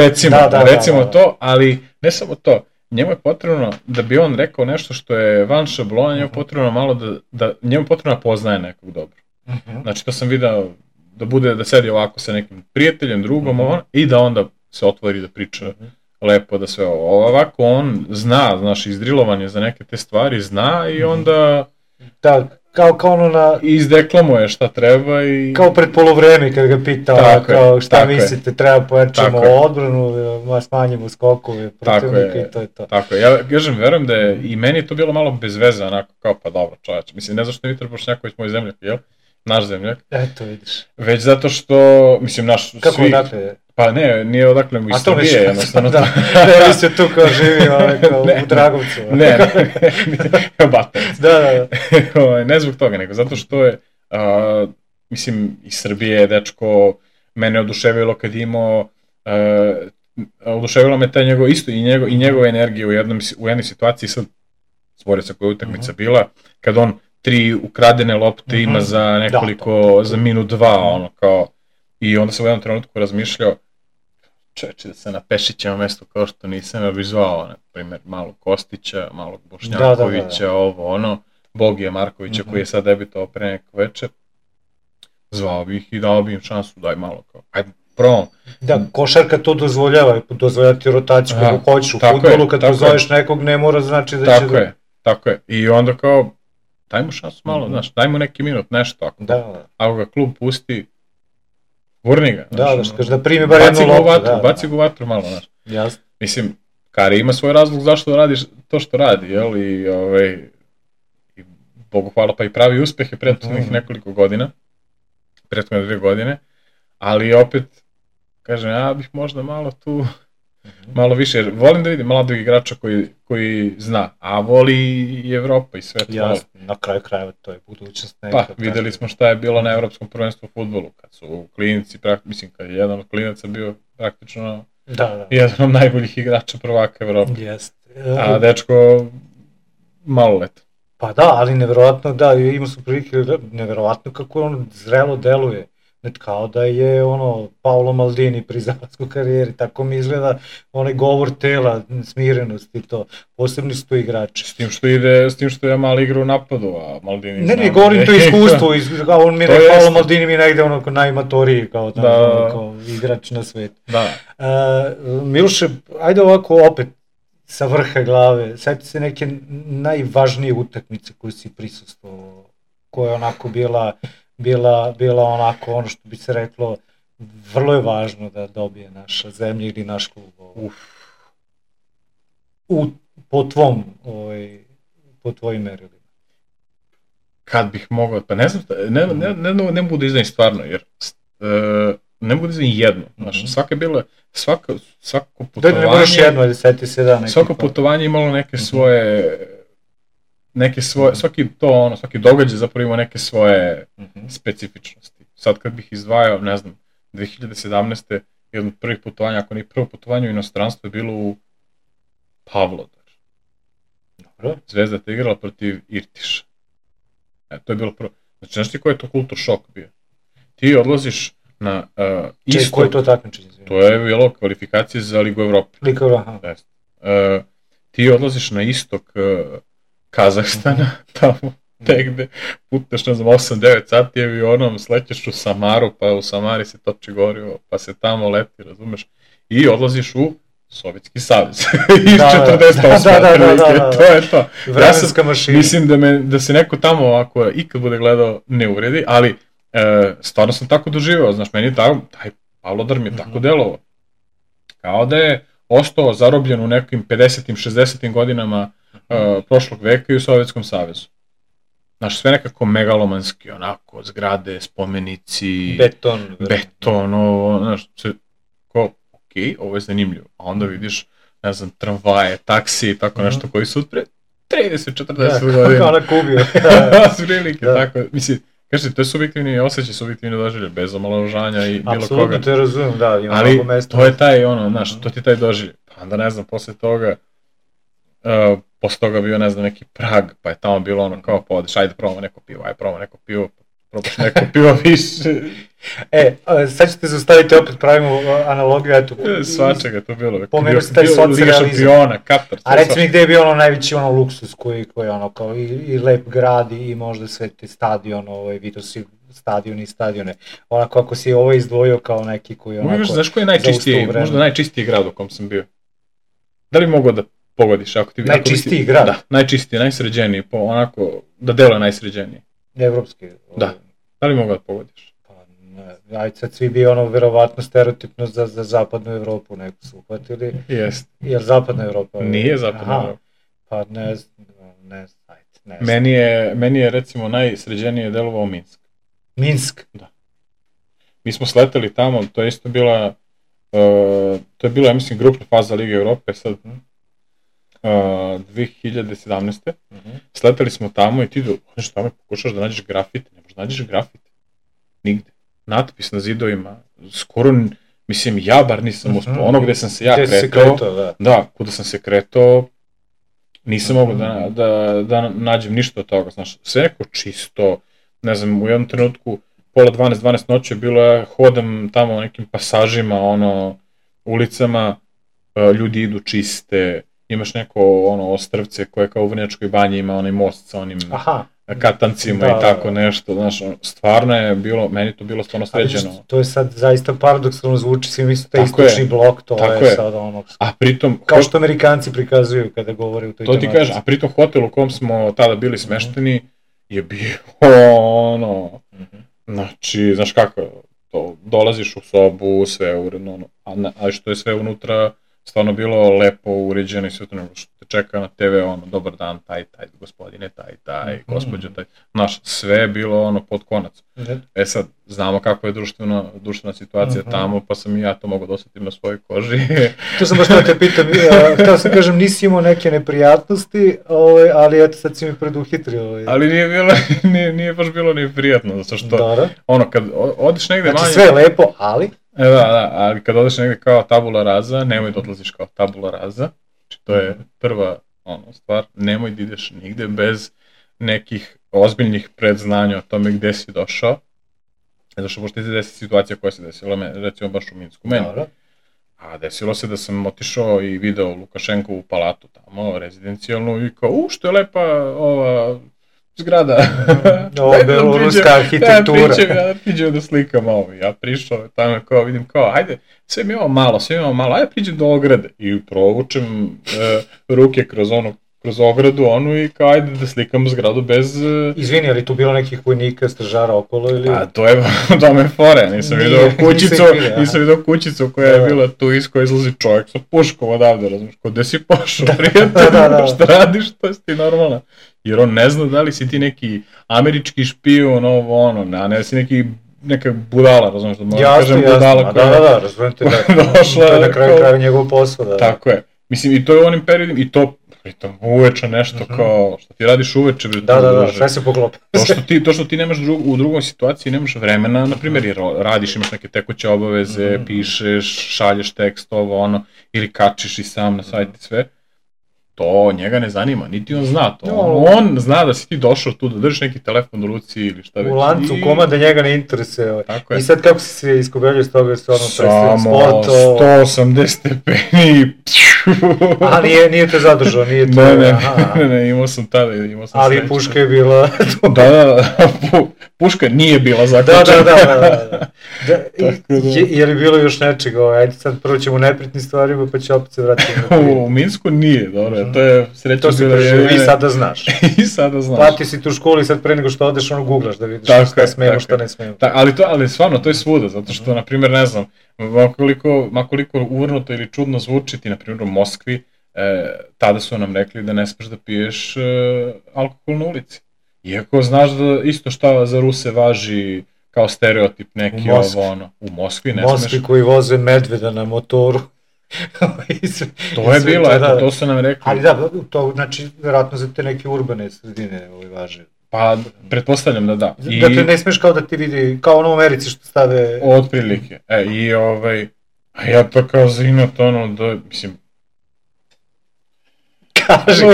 recimo to, ali ne samo to, njemu je potrebno, da bi on rekao nešto što je van šablona, njemu je potrebno malo njemu je potrebno da poznaje nekog dobro. Znači to sam video da sedi ovako sa nekim prijateljem, drugom, i da onda se otvori da priča lepo, da sve ovako on zna, znaš, izdrilovan je za neke te stvari, zna i onda kao ono na... izdeklamuje šta treba i... Kao pred polovreme kad ga pita kao šta mislite, treba pojačamo odbranu, smanjimo skokove, protivnika i to je to. Tako je, ja kažem, verujem da je i meni to bilo malo bez veze, onako kao pa dobro čoveče, mislim ne zašto je Mitar Bošnjaković moj zemljak, jel? Naš zemljak. Eto vidiš. Već zato što, mislim naš svi... Kako odakle je? Pa ne, nije odakle mu iz Srbije, jednostavno. Da, vi se tu kao živi u Dragovcu. Ne, Batovac. Da. Ne zbog toga, nego zato što je, mislim, iz Srbije, dečko, mene oduševilo kad imao, oduševilo me taj njegov, isto i njegova energija u jednoj situaciji, sad, Zvornica koja je utakmica bila, kad on 3 ukradene lopte ima za nekoliko, za minut 2, ono kao, i onda sam u jednom trenutku razmišljao, čoveče, da se na Pešićevom mestu kao što nisam, ja bih zvao, na primjer, malog Kostića, malog Bošnjakovića, ovo, ono, Bogija Markovića koji je sad debitovao pre neko večer, zvao bih i dao bi im šansu, daj malo kao, ajde, probam. Da, košarka to dozvoljava ti rotaciju kako hoćeš u fudbalu, kad pozoveš nekog ne mora znači da će... Tako je, i onda kao, daj mu šansu malo, znaš, daj mu neki minut, nešto, ako ga klub pusti, gurni ga. Da, što kaže da primi bar jednu loptu. Baci ga u vatru malo, znaš. Jasno. Mislim, Kari ima svoj razlog zašto radiš to što radi, jel? I Bogu hvala pa i pravi uspehe prethodnih nekoliko godina, prethodne 2 godine, ali opet, kažem, ja bih možda malo tu, malo više, jer volim da vidim mladog igrača koji zna, a voli i Evropa i sve to. Jasno, na kraju krajeva to je budućnost neka. Pa, videli smo šta je bilo na Evropskom prvenstvu u fudbalu, kad su klinici, mislim, kad je jedan od klinaca bio praktično jedan od najboljih igrača prvaka Evrope. A dečko maloletan. Pa da, ali nevjerovatno, da, ima su prilike, nevjerovatno kako on zrelo deluje. Kao da je Paolo Maldini pri zalasku karijeri, tako mi izgleda onaj govor tela, smirenost i to, posebni su to igrači. S tim što je malo igra u napadu, a Maldini... Ne, govorim to iskustvo, on mi Paolo Maldini mi negde najmatoriji kao igrač na svetu. Miloše, ajde ovako opet sa vrha glave, sjeti se neke najvažnije utakmice koje si prisustvovao, koja je onako bila onako ono što bi se reklo, vrlo je važno da dobije naša zemlja ili naš klub. Po tvojim merilima. Kad bih mogao, pa ne znam, ne mogu da izdam stvarno, jer ne mogu da izdam jedno. Svaka je bila, svako putovanje... Ne moraš jedno, ali seti se da neki... Svako putovanje imalo neke svoje, svaki događaj zapravo ima neke svoje specifičnosti. Sad kad bih izdvajao, ne znam, 2017. jedno od prvih putovanja, ako ne prvo putovanje u inostranstvu je bilo u Pavlodar. Dobro. Zvezda je igrala protiv Irtiša. To je bilo prvo. Znači, znaš ti koji je to kultur šok bio? Ti odlaziš na istok... Koji je to takmičenje? To je bilo kvalifikacije za Ligu Evrope. Ligu Evrope, ti odlaziš na istok Kazahstana, tamo negde, putneš, ne znam, 8-9 sati avionom, slećeš u Samaru, pa u Samari se toči gorivo, pa se tamo leti, razumeš, i odlaziš u Sovjetski savez. Iz 48. To je to. Vremenska mašina. Mislim da se neko tamo, ako ikad bude gledao, ne uvredi, ali stvarno sam tako doživao, znaš, meni je taj Pavlodar mi je tako delovao. Kao da je ostao zarobljen u nekim 50-im, 60-im godinama prošlog veka i u Sovjetskom savezu. Znaš, sve nekako megalomanski, onako, zgrade, spomenici, beton, ovo, znaš, ok, okej, ovo je zanimljivo. A onda vidiš, ne znam, tramvaje, taksi i tako nešto koji su od pre 30-40 godina. Kao na Kubiju. Prilike, tako. Mislim, kažete, to je subjektivni osjećaj, subjektivni doživljaj, bez omalovažanja i bilo koga. Apsolutno, te razumijem, da, ima mnogo mesta. Ali to je taj, znaš, to ti je taj doživljaj. Pa onda, ne znam, posle toga bio, ne znam, neki Prag, pa je tamo bilo kao podeš, ajde probamo neko pivo, probaš neko pivo više. Sad ćete zaustaviti, opet pravimo analogiju, eto. Svačega to bilo. Pomenuo se taj socrealizam. Liga šampiona, Katar. A reci mi gde je bio najveći luksus koji je kao i lep grad i možda sve te stadion, vidio si stadione. Onako, ako si ovo izdvojio kao neki koji onako... Znaš koji je najčistiji, možda najčistiji grad u kom sam bio? Da li mogu da pogodiš? Najčistiji grad? Da, najčistiji, najsređeniji, onako, da deluje najsređeniji. Evropski? Da. Da li mogu da pogodiš? Pa ne, ajde sad svi bi verovatno stereotipno za zapadnu Evropu neko su uhvatili. Jest. Jer zapadna Evropa... Nije zapadna Evropa. Pa ne. Meni je recimo najsređenije delovao Minsk. Minsk? Da. Mi smo sleteli tamo, to je isto bila, ja mislim, grupna faza Lige Evrope, sad 2017. Sleteli smo tamo i ti odeš tamo i pokušaš da nađeš grafite, ne možeš da nađeš grafite. Nigde. Natpis na zidovima, skoro, mislim, ja bar nisam uspio, ono gde sam se ja kretao, da, kuda sam se kretao, nisam mogao da nađem ništa od toga, znaš, sve neko čisto, ne znam, u jednom trenutku, pola 12 noći je bilo, hodam tamo nekim pasažima, ulicama, ljudi idu čiste, imaš neko ostrvce koje kao u Vrnjačkoj banji ima onaj most sa onim katancima i tako nešto, znaš, stvarno je bilo, meni to bilo stvarno sređeno. To je sad zaista paradoksalno zvuči, svi misle taj istočni blok, to je sad a pritom... Kao što Amerikanci prikazuju kada govore u toj tematici. To ti kažem, a pritom hotel u kom smo tada bili smešteni je bio znači, znaš kako, dolaziš u sobu, sve uredno, a što je sve unutra stvarno bilo lepo uređeno i sve to nego što te čeka na TV, dobar dan, taj, gospodine, taj, gospođo, taj, znaš, sve je bilo pod konac. Sad, znamo kako je društvena situacija tamo, pa sam i ja to mogao da osjetim na svojoj koži. To sam baš da te pitam, htio sam kažem, nisi imao neke neprijatnosti, ali eto sad si mi preduhitrio. Ali nije baš bilo ni prijatno, zato što, kad odeš negde manje... Znači sve je lepo, ali... Da, ali kad odeš negde kao tabula rasa, nemoj da odlaziš kao tabula rasa, znači to je prva stvar, nemoj da ideš nigde bez nekih ozbiljnih predznanja o tome gde si došao, zato što možda ti se desi situacija koja se desila, recimo baš u Minsku meni, a desilo se da sam otišao i video Lukašenkovu palatu tamo, rezidencijalnu, i kao, što je lepa ova zgrada. Beloruska arhitektura. Ja priđem da slikam ovo. Ja prišao tamo kao vidim kao, ajde, sve mi imamo malo, ajde priđem do ograde. I provučem ruke kroz ogradu i kao, ajde da slikam zgradu bez... Izvini, ali tu bilo nekih vojnika, stražara okolo ili... A to je fore, nisam vidio kućicu koja je bila tu iz koje izlazi čovjek sa puškom odavde, razumiješ, ko gde si pošao, prijatelj, šta radiš, to je ti normalno. Jer on ne zna da li si ti neki američki špijun, a ne si neka budala, razumiješ, da možda kažem budala koja... Da, razumijem te, to je na kraju kraja njegov posao, da. Tako je. Mislim, i to je u onim periodima, i to, pritom, uveče nešto kao, što ti radiš uveče, da, sve se poklopi. To što ti nemaš u drugoj situaciji, nemaš vremena, na primjer, jer radiš, imaš neke tekuće obaveze, pišeš, šalješ tekst, ili kačiš i sam na sajt i sve, to njega ne zanima, niti on zna to. On zna da si ti došao tu, da držiš neki telefon u ruci ili šta već. U lancu komanda njega ne interesuje. I sad kako si se iskobeljio s toga jer su predstavljaju sport? Samo 180 stepeni. A nije te zadržao, nije to... Ne, imao sam tada, ali puška je bila... Da, puška nije bila zaključena. Da. Je li bilo još nečega? Ajde sad prvo ćemo neprijatnim stvarima pa će opet se vratiti. U Minsku nije, dobro. To je sreća bila i sada znaš. znaš. Platio si tu školu i sad pre nego što odeš googlaš da vidiš šta smemo, šta ne smemo. Ali stvarno, to je svuda, zato što, na primjer, ne znam, makoliko uvrnuto ili čudno zvuči ti, na primjer, u Moskvi, tada su nam rekli da ne smeš da piješ alkohol na ulici. Iako znaš da isto šta za Ruse važi kao stereotip neki ovo ono. U Moskvi ne smeš. Moskvi koji voze medveda na motoru. To je bilo, eto, to su nam rekli. Ali da, to znači vjerojatno za te neke urbane sredine važe. Pa, pretpostavljam da da. Dakle, ne smeš kao da ti vidi, kao ono u Americi što stave... Otprilike. I a ja to kao za inat ono, da, mislim... Kaži,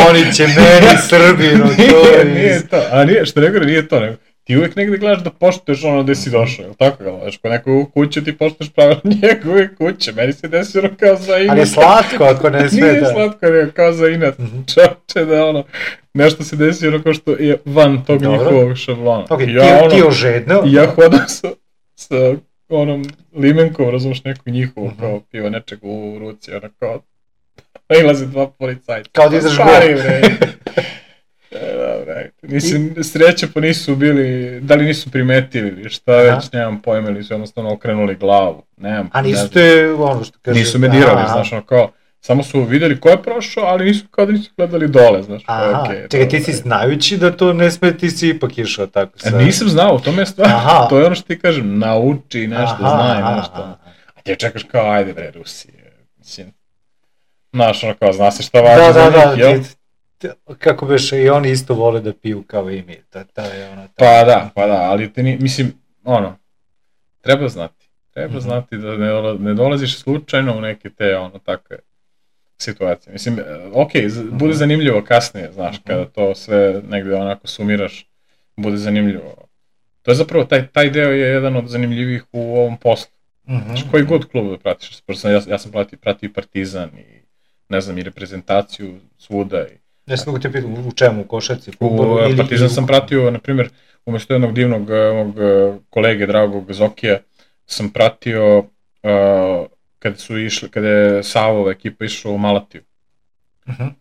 oni će meni Srbinu, to je... Nije to, a nije, što ne gore, nije to, nego. Ti uvijek negde gledaš da poštuješ ono gde si došao, jel tako ga gledaš? Ko nekog kuće ti poštuješ pravilno njegove kuće, meni se desilo kao za inat. Ali je slatko ako ne sve da... Nije slatko, nego kao za inat, čovječe da ono, nešto se desilo kao što je van tog njihovog šablona. Ok, ti ožedno. I ja hodam sa onom limenkom, razumiješ, nekog njihovog, kao piva nečeg u ruci, ono kao, ilaze dva policajca. Kao da izaš gore. Mislim, sreće pa nisu bili, da li nisu primetili ili šta već, nemam pojma, ili su jednostavno okrenuli glavu, nemam. A nisu te, ono što kaže... Nisu me dirali, znaš, ono kao, samo su vidjeli ko je prošao, ali nisu kao da nisu gledali dole, znaš. Čekaj, ti si znajući da to ne sme, ti si ipak išao tako sad. Nisam znao, to me je stvar, to je ono što ti kažem, nauči nešto, znaj nešto. A ti čekaš kao, ajde bre, Rusije, mislim, znaš, ono kao, zna se šta važi za njih, jel? Kako beš, i oni isto vole da piju kao i mi, Pa da, ali te mislim, ono, treba znati da ne dolaziš slučajno u neke te, takve situacije. Mislim, bude zanimljivo kasnije, znaš, kada to sve negdje onako sumiraš, bude zanimljivo. To je zapravo, taj deo je jedan od zanimljivih u ovom poslu. Znači, koji god klub da pratiš, ja sam pratio i Partizan i, ne znam, i reprezentaciju svuda i Jesi mogu te pitati u čemu, u košarci, futbolu? U Partizan sam pratio, na primjer, umjesto jednog divnog mog kolege, dragog Zokija, sam pratio kada je Savova ekipa išla u Malatiju.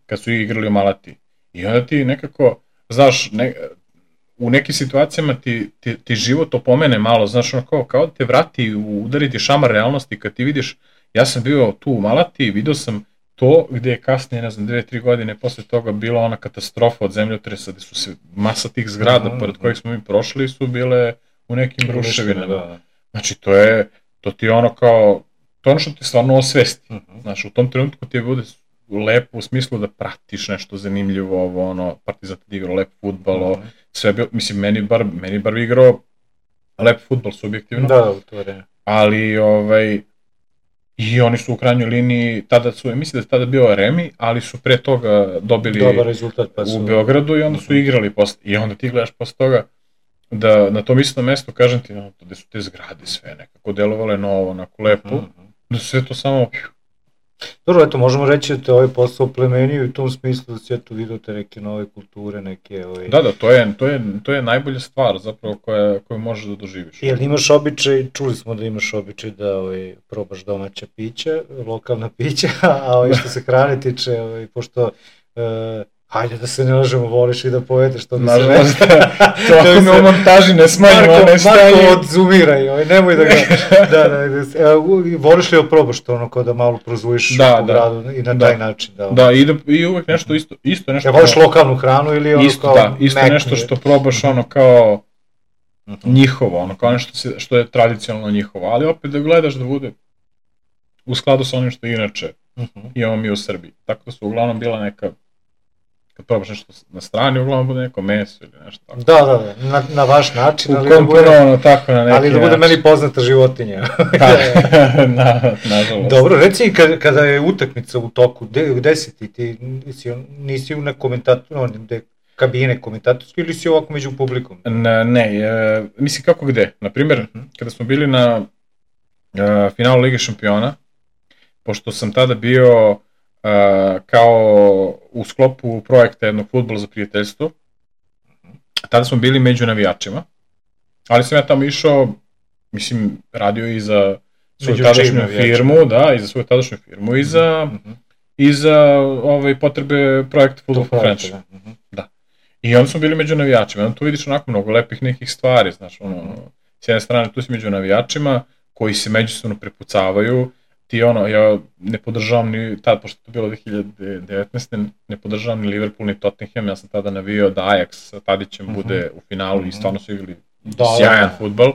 Kad su igrali u Malatiji. I onda ti nekako, znaš, u nekim situacijama ti život opomene malo, znaš, ono kao da te vrati, udariti šamar realnosti kad ti vidiš, ja sam bio tu u Malatiji, vidio sam to gdje je kasnije, ne znam, 2-3 godine posle toga bila ona katastrofa od zemljotresa, gdje su se masa tih zgrada pored kojih smo mi prošli su bile u nekim ruševinama. Znači to ti je ono kao, to je ono što ti stvarno osvesti. Znači u tom trenutku ti je bude lepo u smislu da pratiš nešto zanimljivo, Partizan ti igrao lep fudbal, sve bilo, mislim meni bar igrao lep fudbal subjektivno. Da, to je. Ali i oni su u krajnjoj liniji, mislim da je tada bio Remi, ali su pre toga dobili dobar rezultat u Beogradu i onda su igrali posle. I onda ti gledaš posle toga da na tom istom mestu, kažem ti, gde su te zgrade sve nekako delovale novo, onako lepo, da su sve to samo... Dobro, eto, možemo reći da te ovaj posao plemenio i u tom smislu da si eto vidio te neke nove kulture, neke... Da, to je najbolja stvar zapravo koju možeš da doživiš. Jel imaš običaj, čuli smo da imaš običaj da probaš domaća pića, lokalna pića, a što se hrane tiče, pošto... Hajde da se ne lažemo, voliš i da pojedeš, to bi se već... To ako me u montaži ne smanjimo, ne staje... Marko odzumiraj, nemoj da ga... Voliš li da probaš to ono kao da malo prozvojiš u gradu i na taj način? Da, i uvek nešto isto nešto... Voliš lokalnu hranu ili ono kao... Da, isto nešto što probaš ono kao njihovo, ono kao nešto što je tradicionalno njihovo, ali opet da gledaš da bude u skladu sa onim što inače imamo mi u Srbiji. Tako da su uglavnom bila neka... Kad probaš nešto na strani, uglavnom bude neko meso ili nešto tako. Da, na vaš način, ali da bude meni poznata životinja. Nažalost. Dobro, reci kada je utakmica u toku, gde si ti? Nisi u kabine komentatorske ili si ovako među publikom? Ne, mislim kako gde. Naprimjer, kada smo bili na finalu Lige šampiona, pošto sam tada bio kao u sklopu projekta jednog fudbala za prijateljstvo. Tada smo bili među navijačima, ali sam ja tamo išao, mislim, radio i za svoju tadašnju firmu, i za svoju tadašnju firmu i za potrebe projekta Football for Friendship. Da. I onda smo bili među navijačima, onda tu vidiš onako mnogo lepih nekih stvari, znaš, s jedne strane tu si među navijačima koji se međusobno prepucavaju. Ja ne podržavam ni, tada, pošto to bilo 2019. ne podržavam ni Liverpool ni Tottenham, ja sam tada navio da Ajax sa Tadićem bude u finalu i stvarno su igrali sjajan fudbal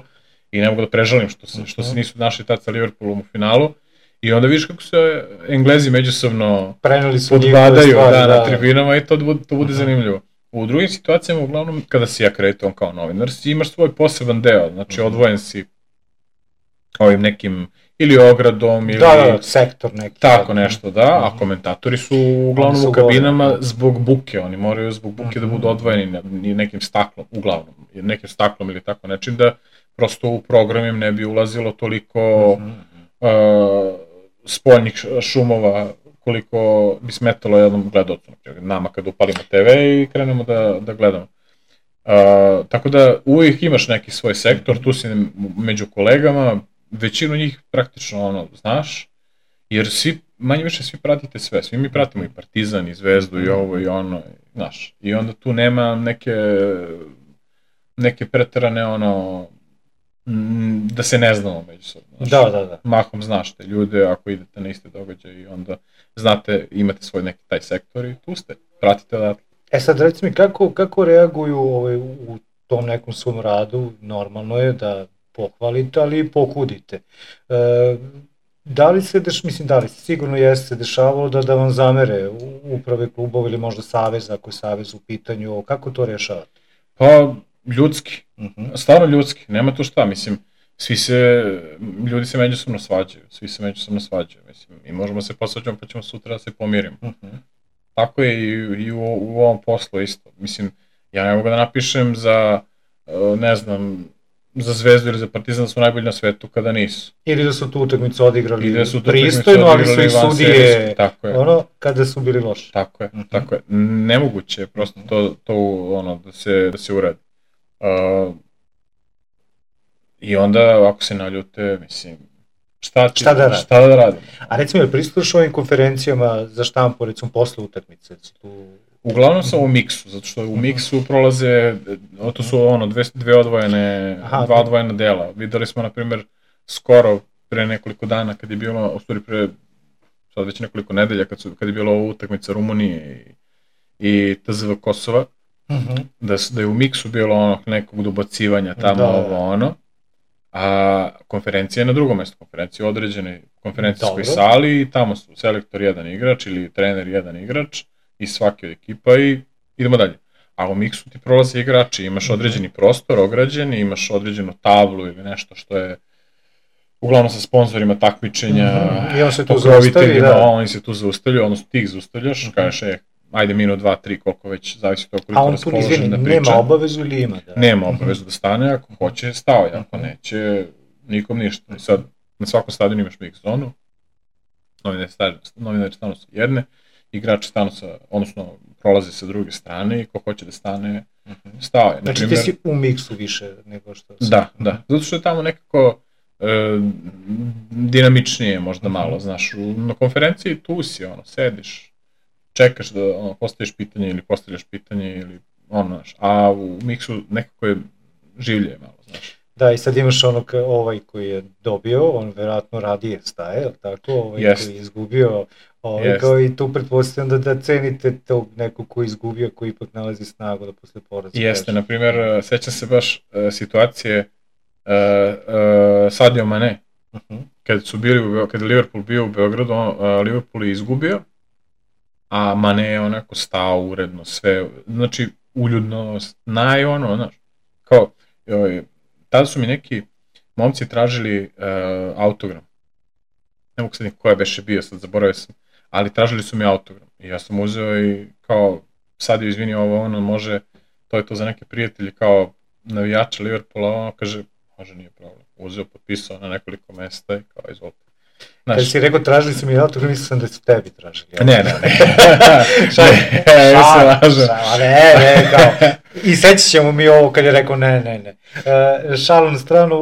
i ne mogu da prežalim što se nisu našli tad sa Liverpoolom u finalu. I onda vidiš kako se Englezi međusobno podbadaju na tribinama i to bude zanimljivo. U drugim situacijama, uglavnom, kada si akreditovan kao novinar, si imaš svoj poseban deo, znači odvojen si ovim nekim ili ogradom ili... Da, sektor neki. Tako nešto, da, a komentatori su uglavnom u kabinama zbog buke, oni moraju zbog buke da budu odvojeni nekim staklom, uglavnom, nekim staklom ili tako nečim, da prosto u programim ne bi ulazilo toliko spoljnih šumova koliko bi smetalo jednom gledalcu, nama kad upalimo TV i krenemo da gledamo. Tako da uvijek imaš neki svoj sektor, tu si među kolegama, većinu njih praktično znaš, jer manje više svi pratite sve, svi mi pratimo i Partizan, i Zvezdu, i ovo, i ono, znaš, i onda tu nema neke preterane da se ne znamo međusobno. Da. Mahom znaš te ljude, ako idete na iste događaje i onda znate, imate svoj neki taj sektor i tu ste, pratite odatle. Sad reci mi, kako reaguju u tom nekom svom radu? Normalno je da pohvalite, ali i pokudite. Da li se sigurno jeste dešavalo da vam zamere uprave klubova ili možda savez, ako je savez u pitanju, kako to rješavate? Pa, ljudski, stvarno ljudski, nema tu šta, mislim, ljudi se međusobno svađaju, mislim, i možemo se posvađati pa ćemo sutra da se pomirimo. Tako je i u ovom poslu isto, mislim, ja ne mogu da napišem za, ne znam, za Zvezdu ili za Partizan da su najbolji na svetu kada nisu. Ili da su tu utakmicu odigrali pristojno, ali su ih sudije, kada su bili loši. Tako je, nemoguće je prosto to da se uradi. I onda, ako se naljute, mislim, šta da radimo? A recimo, je pristupuješ ovim konferencijama za štampu, recimo, posle utakmice? Uglavnom sam u miksu, zato što u miksu prolaze, to su dva odvojena dela. Videli smo, na primjer, skoro pre nekoliko dana, kad je bilo, u stvari pre, sad već nekoliko nedelja, kad je bilo utakmica Rumunije i TZV Kosova, da je u miksu bilo nekog dobacivanja tamo, a konferencija je na drugom mjestu, konferencija je u određenoj konferencijskoj sali i tamo su selektor jedan igrač ili trener jedan igrač iz svake od ekipa i idemo dalje. A u miksu ti prolaze igrači, imaš određeni prostor ograđen, imaš određenu tablu ili nešto što je uglavnom sa sponzorima takmičenja, pokroviteljima, oni se tu zaustavljaju, odnosno ti ih zaustavljaš, kažeš, ajde minut, 2, 3, koliko već, zavisi to koliko raspoložen da priča. Nema obavezu ili ima? Nema obavezu da stane, ako hoće stao, ako neće, nikom ništa. I sad, na svakom stadionu imaš mix zonu, novinari stanu sa jedne, igrači stanu odnosno prolaze sa druge strane i ko hoće da stane, stao je. Znači ti si u miksu više nego što... Da, zato što je tamo nekako dinamičnije možda malo, znaš, na konferenciji tu si, sediš, čekaš da postavljaš pitanje ili a u miksu nekako je življe malo, znaš. Da, i sad imaš ovaj koji je dobio, on verovatno radije staje, je li tako? Koji je izgubio, kao i tu pretpostavljam da cenite tog nekog koji je izgubio, koji ipak nalazi snagu da posle poraza. Jeste, na primjer, sećam se baš situacije Sadio Mane, kada je Liverpool bio u Beogradu, Liverpool je izgubio, a Mane je onako stao uredno, sve, znači uljudno, znaš, kao, tada su mi neki momci tražili autogram, ne mogu sad ko je beše bio, sad zaboravio sam, ali tražili su mi autogram i ja sam uzeo i kao, sad je izvini ovo, može, to je to za neke prijatelji, kao navijača Liverpoola, kaže, može, nije problem, uzeo, potpisao na nekoliko mesta i kao, izvolite. Kad si rekao tražili su mi autogram, mislio sam da su tebi tražili. Ne. Ne, kao. I sećat ćemo mi ovo kad je rekao ne. Šalu na stranu,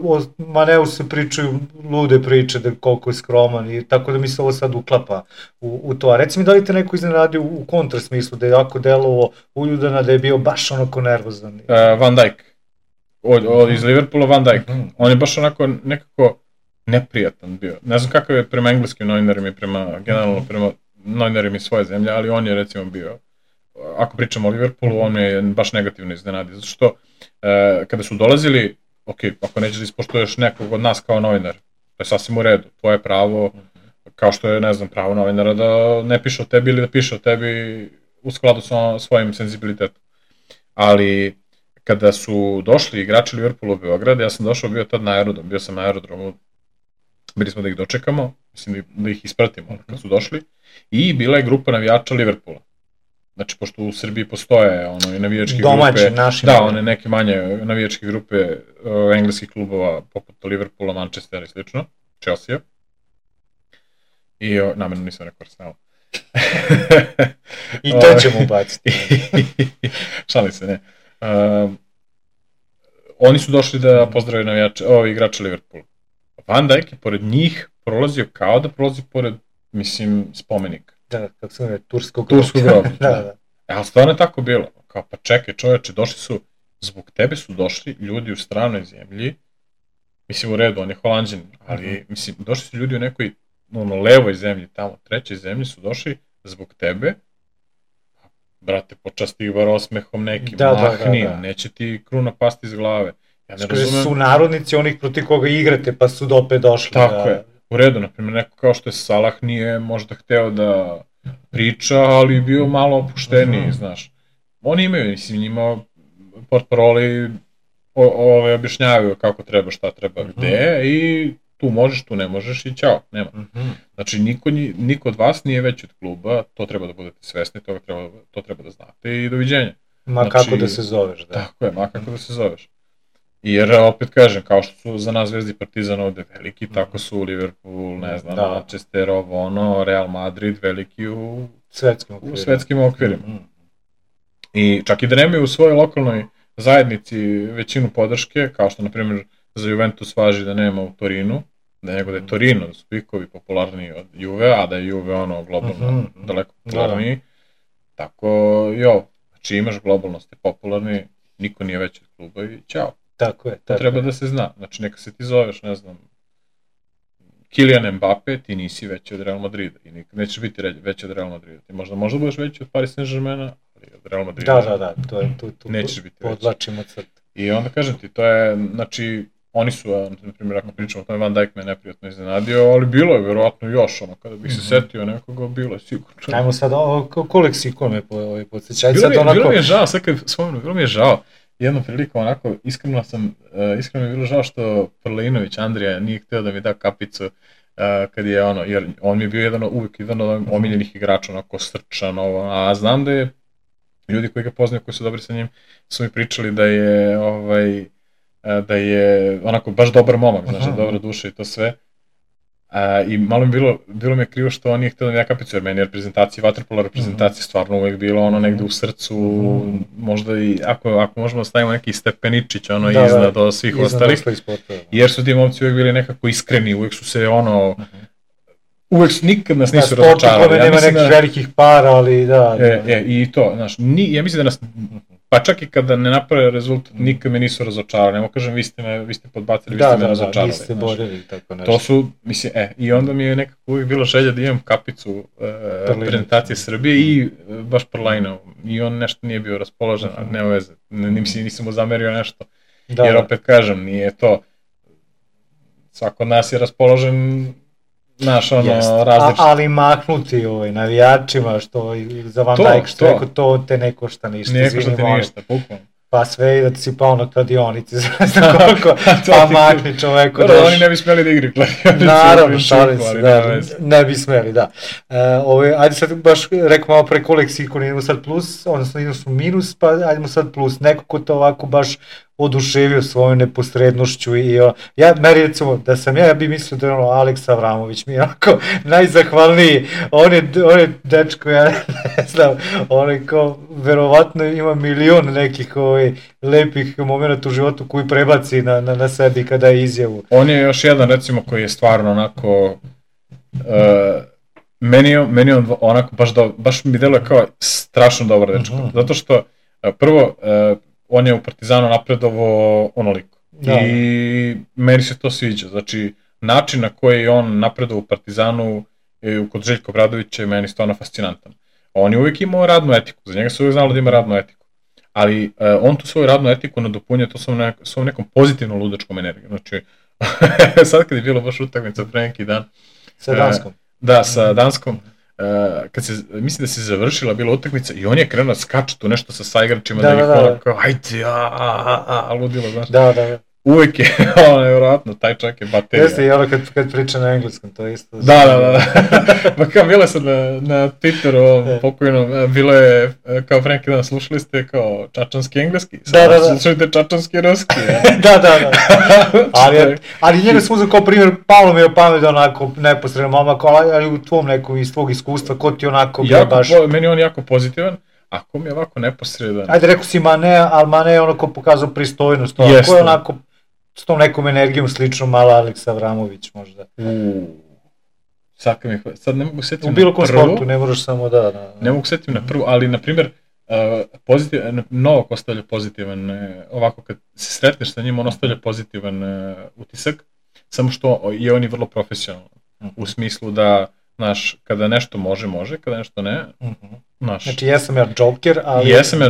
o Maneu se pričaju lude priče da koliko je skroman i tako da mi se ovo sad uklapa u to. A reci mi da li te neko iznenadio u kontrasmislu, da je jako delovo uljudana, da je bio baš onako nervozan? Van Dijk. Iz Liverpoola Van Dijk. On je baš onako nekako neprijatan bio. Ne znam kakav je prema engleskim novinarima i generalno prema novinarima iz svoje zemlje, ali on je recimo bio, ako pričamo o Liverpoolu, on je baš negativno iznenadio, zato što kada su dolazili, ok, ako nećeš da ispoštuješ nekog od nas kao novinar, to je sasvim u redu, tvoje pravo, kao što je, ne znam, pravo novinara da ne piše o tebi ili da piše o tebi u skladu sa svojim senzibilitetom. Ali kada su došli igrači Liverpoola u Beograd, ja sam došao, bio sam na aerodromu, bili smo da ih dočekamo, mislim da ih ispratimo kad su došli, i bila je grupa navijača Liverpoola. Znači, pošto u Srbiji postoje i navijačke grupe, da, one neke manje navijačke grupe engleskih klubova, poput Liverpoola, Manchestera i slično, Chelsea. I namjerno nisam rekao Arsenal. I to ćemo ubaciti. Šalim se, ne. Oni su došli da pozdrave igrača Liverpoola. Van Dijk je pored njih prolazio kao da prolazi pored, mislim, spomenika. Da, kako se zove, turskog groba. Da. Ali stvarno je tako bilo. Kao, pa čekaj čoveče, zbog tebe su došli ljudi u stranoj zemlji, mislim u redu, on je Holanđan, ali mislim, došli su ljudi u nekoj levoj zemlji, tamo, trećoj zemlji su došli zbog tebe, brate, počasti ih bar osmehom nekim, mahni, neće ti kruna pasti iz glave. Ja ne razumem. Su narodnici onih proti koga igrate, pa su opet došli. Tako je. U redu, naprimjer, neko kao što je Salah nije možda hteo da priča, ali bio malo opušteniji, znaš. Oni imaju, mislim, njima portparoli objašnjavaju kako treba, šta treba, gde, i tu možeš, tu ne možeš i ćao, nema. Znači, niko od vas nije veći od kluba, to treba da budete svesni, to treba da znate i doviđenja. Ma kako da se zoveš, da. Tako je, ma kako da se zoveš. Jer, opet kažem, kao što su za nas Zvezdi Partizan ovde veliki, tako su Liverpool, ne znam, Manchester, Real Madrid veliki u svetskim okvirima. I čak i da nemaju u svojoj lokalnoj zajednici većinu podrške, kao što, na primjer, za Juventus važi da nema u Torinu, nego da je Torino, da su pikovi popularniji od Juve, a da je Juve globalno daleko popularniji. Tako i ovo. Znači imaš globalno, ste popularni, niko nije veći od kluba i ćao. Tako je. To treba da se zna. Znači neka se ti zoveš, ne znam, Kylian Mbappe, ti nisi veći od Real Madrida i nikad nećeš biti veći od Real Madrida. Ti možda budeš veći od Paris Saint-Germaina, ali od Real Madrida nećeš biti veći. Podlačimo crtu. I onda kažem ti, to je, znači, oni su, na primjer, ako pričamo o tome, Van Dijk me neprijatno iznenadio, ali bilo je verovatno još, kada bih se setio nekoga, bilo je sigurno. Ajmo sad, koleksikon me podsjeća. Bilo mi je žao, sad kad spomenu, bilo mi je žao. Jednom prilikom, onako, iskreno mi je bilo žao što Prleinović, Andrija, nije htio da mi da kapicu kad je jer on mi je bio uvijek jedan od omiljenih igrača, onako srčan, a znam da je ljudi koji ga poznaju, koji su dobri sa njim, su mi pričali da je onako baš dobar momak, znači dobra duša i to sve. I malo mi bilo mi je krivo što on nije htio da mi da kapicu, jer meni je reprezentacija, vaterpola reprezentacija stvarno uvijek bilo negde u srcu, možda i ako možemo da stavimo neki stepeničić iznad od svih ostalih, jer su ti momci uvijek bili nekako iskreni, uvijek su se nikad nas nisu razočarali. Sportu nema nekih velikih para, ali da. I to, znaš, ja mislim da nas, pa čak i kada ne naprave rezultat, nikad me nisu razočarali. Nemo kažem, vi ste podbacili, vi ste me razočarali. Da, vi ste borili, tako nešto. To su, mislim, i onda mi je nekako uvijek bilo želja da imam kapicu reprezentacije Srbije i baš Prlajnov. I on nešto nije bio raspoložen, ali nema veze. Nisam mu zamerio nešto. Jer opet kažem, nije to, svako od nas je raspoložen, naš različit. Ali maknuti navijačima, što za Van Dijk, što rekao, to te ne košta ništa. Ne košta ti ništa, bukvalno. Pa sve i da ti si pao na kladionici, znaš koliko, pa makni čoveku. Oni ne bi smeli da igri kladionici. Naravno, šalim se, ne bi smeli, da. Ajde sad baš, rekao malo pre koleksikon, idemo sad plus, odnosno idemo su minus, pa ajdemo sad plus. Neko ko to ovako baš oduševio svojom neposrednošću i meni recimo da sam ja bi mislio da je Aleks Avramović mi je onako najzahvalniji, on je dečko, ja ne znam, on je kao verovatno ima milion nekih lepih momenta u životu koji prebaci na sebi kada je izjavu. On je još jedan recimo koji je stvarno onako meni on onako baš mi deluje kao strašno dobar dečko, zato što prvo on je u Partizanu napredovao onoliko. I meni se to sviđa. Znači, način na koji je on napredovao u Partizanu kod Željka Obradovića je meni stvarno fascinantan. On je uvijek imao radnu etiku. Za njega se uvijek znalo da ima radnu etiku. ali on tu svoju radnu etiku nadopunja to svom nekom pozitivnom ludačkom energijom. Znači, sad kad je bilo baš utakmica pre neki dan. Sa Danskom. Da, sa Danskom. Mislim da se završila bila utakmica i on je krenuo da skače tu nešto sa saigračima, da ih kao, ajde, ludilo, znaš. Da. Uvijek je, nevjerojatno, taj čak je baterija. Jeste i ono kad priča na engleskom, to je isto. Da. Pa kao, bilo je sad na Twitteru pokojnom, bilo je, kao pre neki dan, slušali ste kao čačanski engleski, sad slušajte čačanski ruski. Da. Ali njega sam uzeo kao primjer, palo mi je pamet onako neposredno momak, ali u tvom nekom iz tvog iskustva, ko ti onako bio baš... Meni on jako pozitivan. Ako mi je ovako neposredan... Ajde, rekao si Mane, ali Mane je onako pokazao pristojnost. Ko je onako s tom nekom energijom slično mala Aleksa Avramović možda. Sad ne mogu setiti na prvu. U bilo kom sportu, ne moraš samo da... Ne mogu setiti na prvu, ali na primjer, Novak ostavlja pozitivan, ovako kad se sretneš sa njim, on ostavlja pozitivan utisak, samo što je on i vrlo profesionalan. U smislu da, znaš, kada nešto može, kada nešto ne. Znači, jesam ja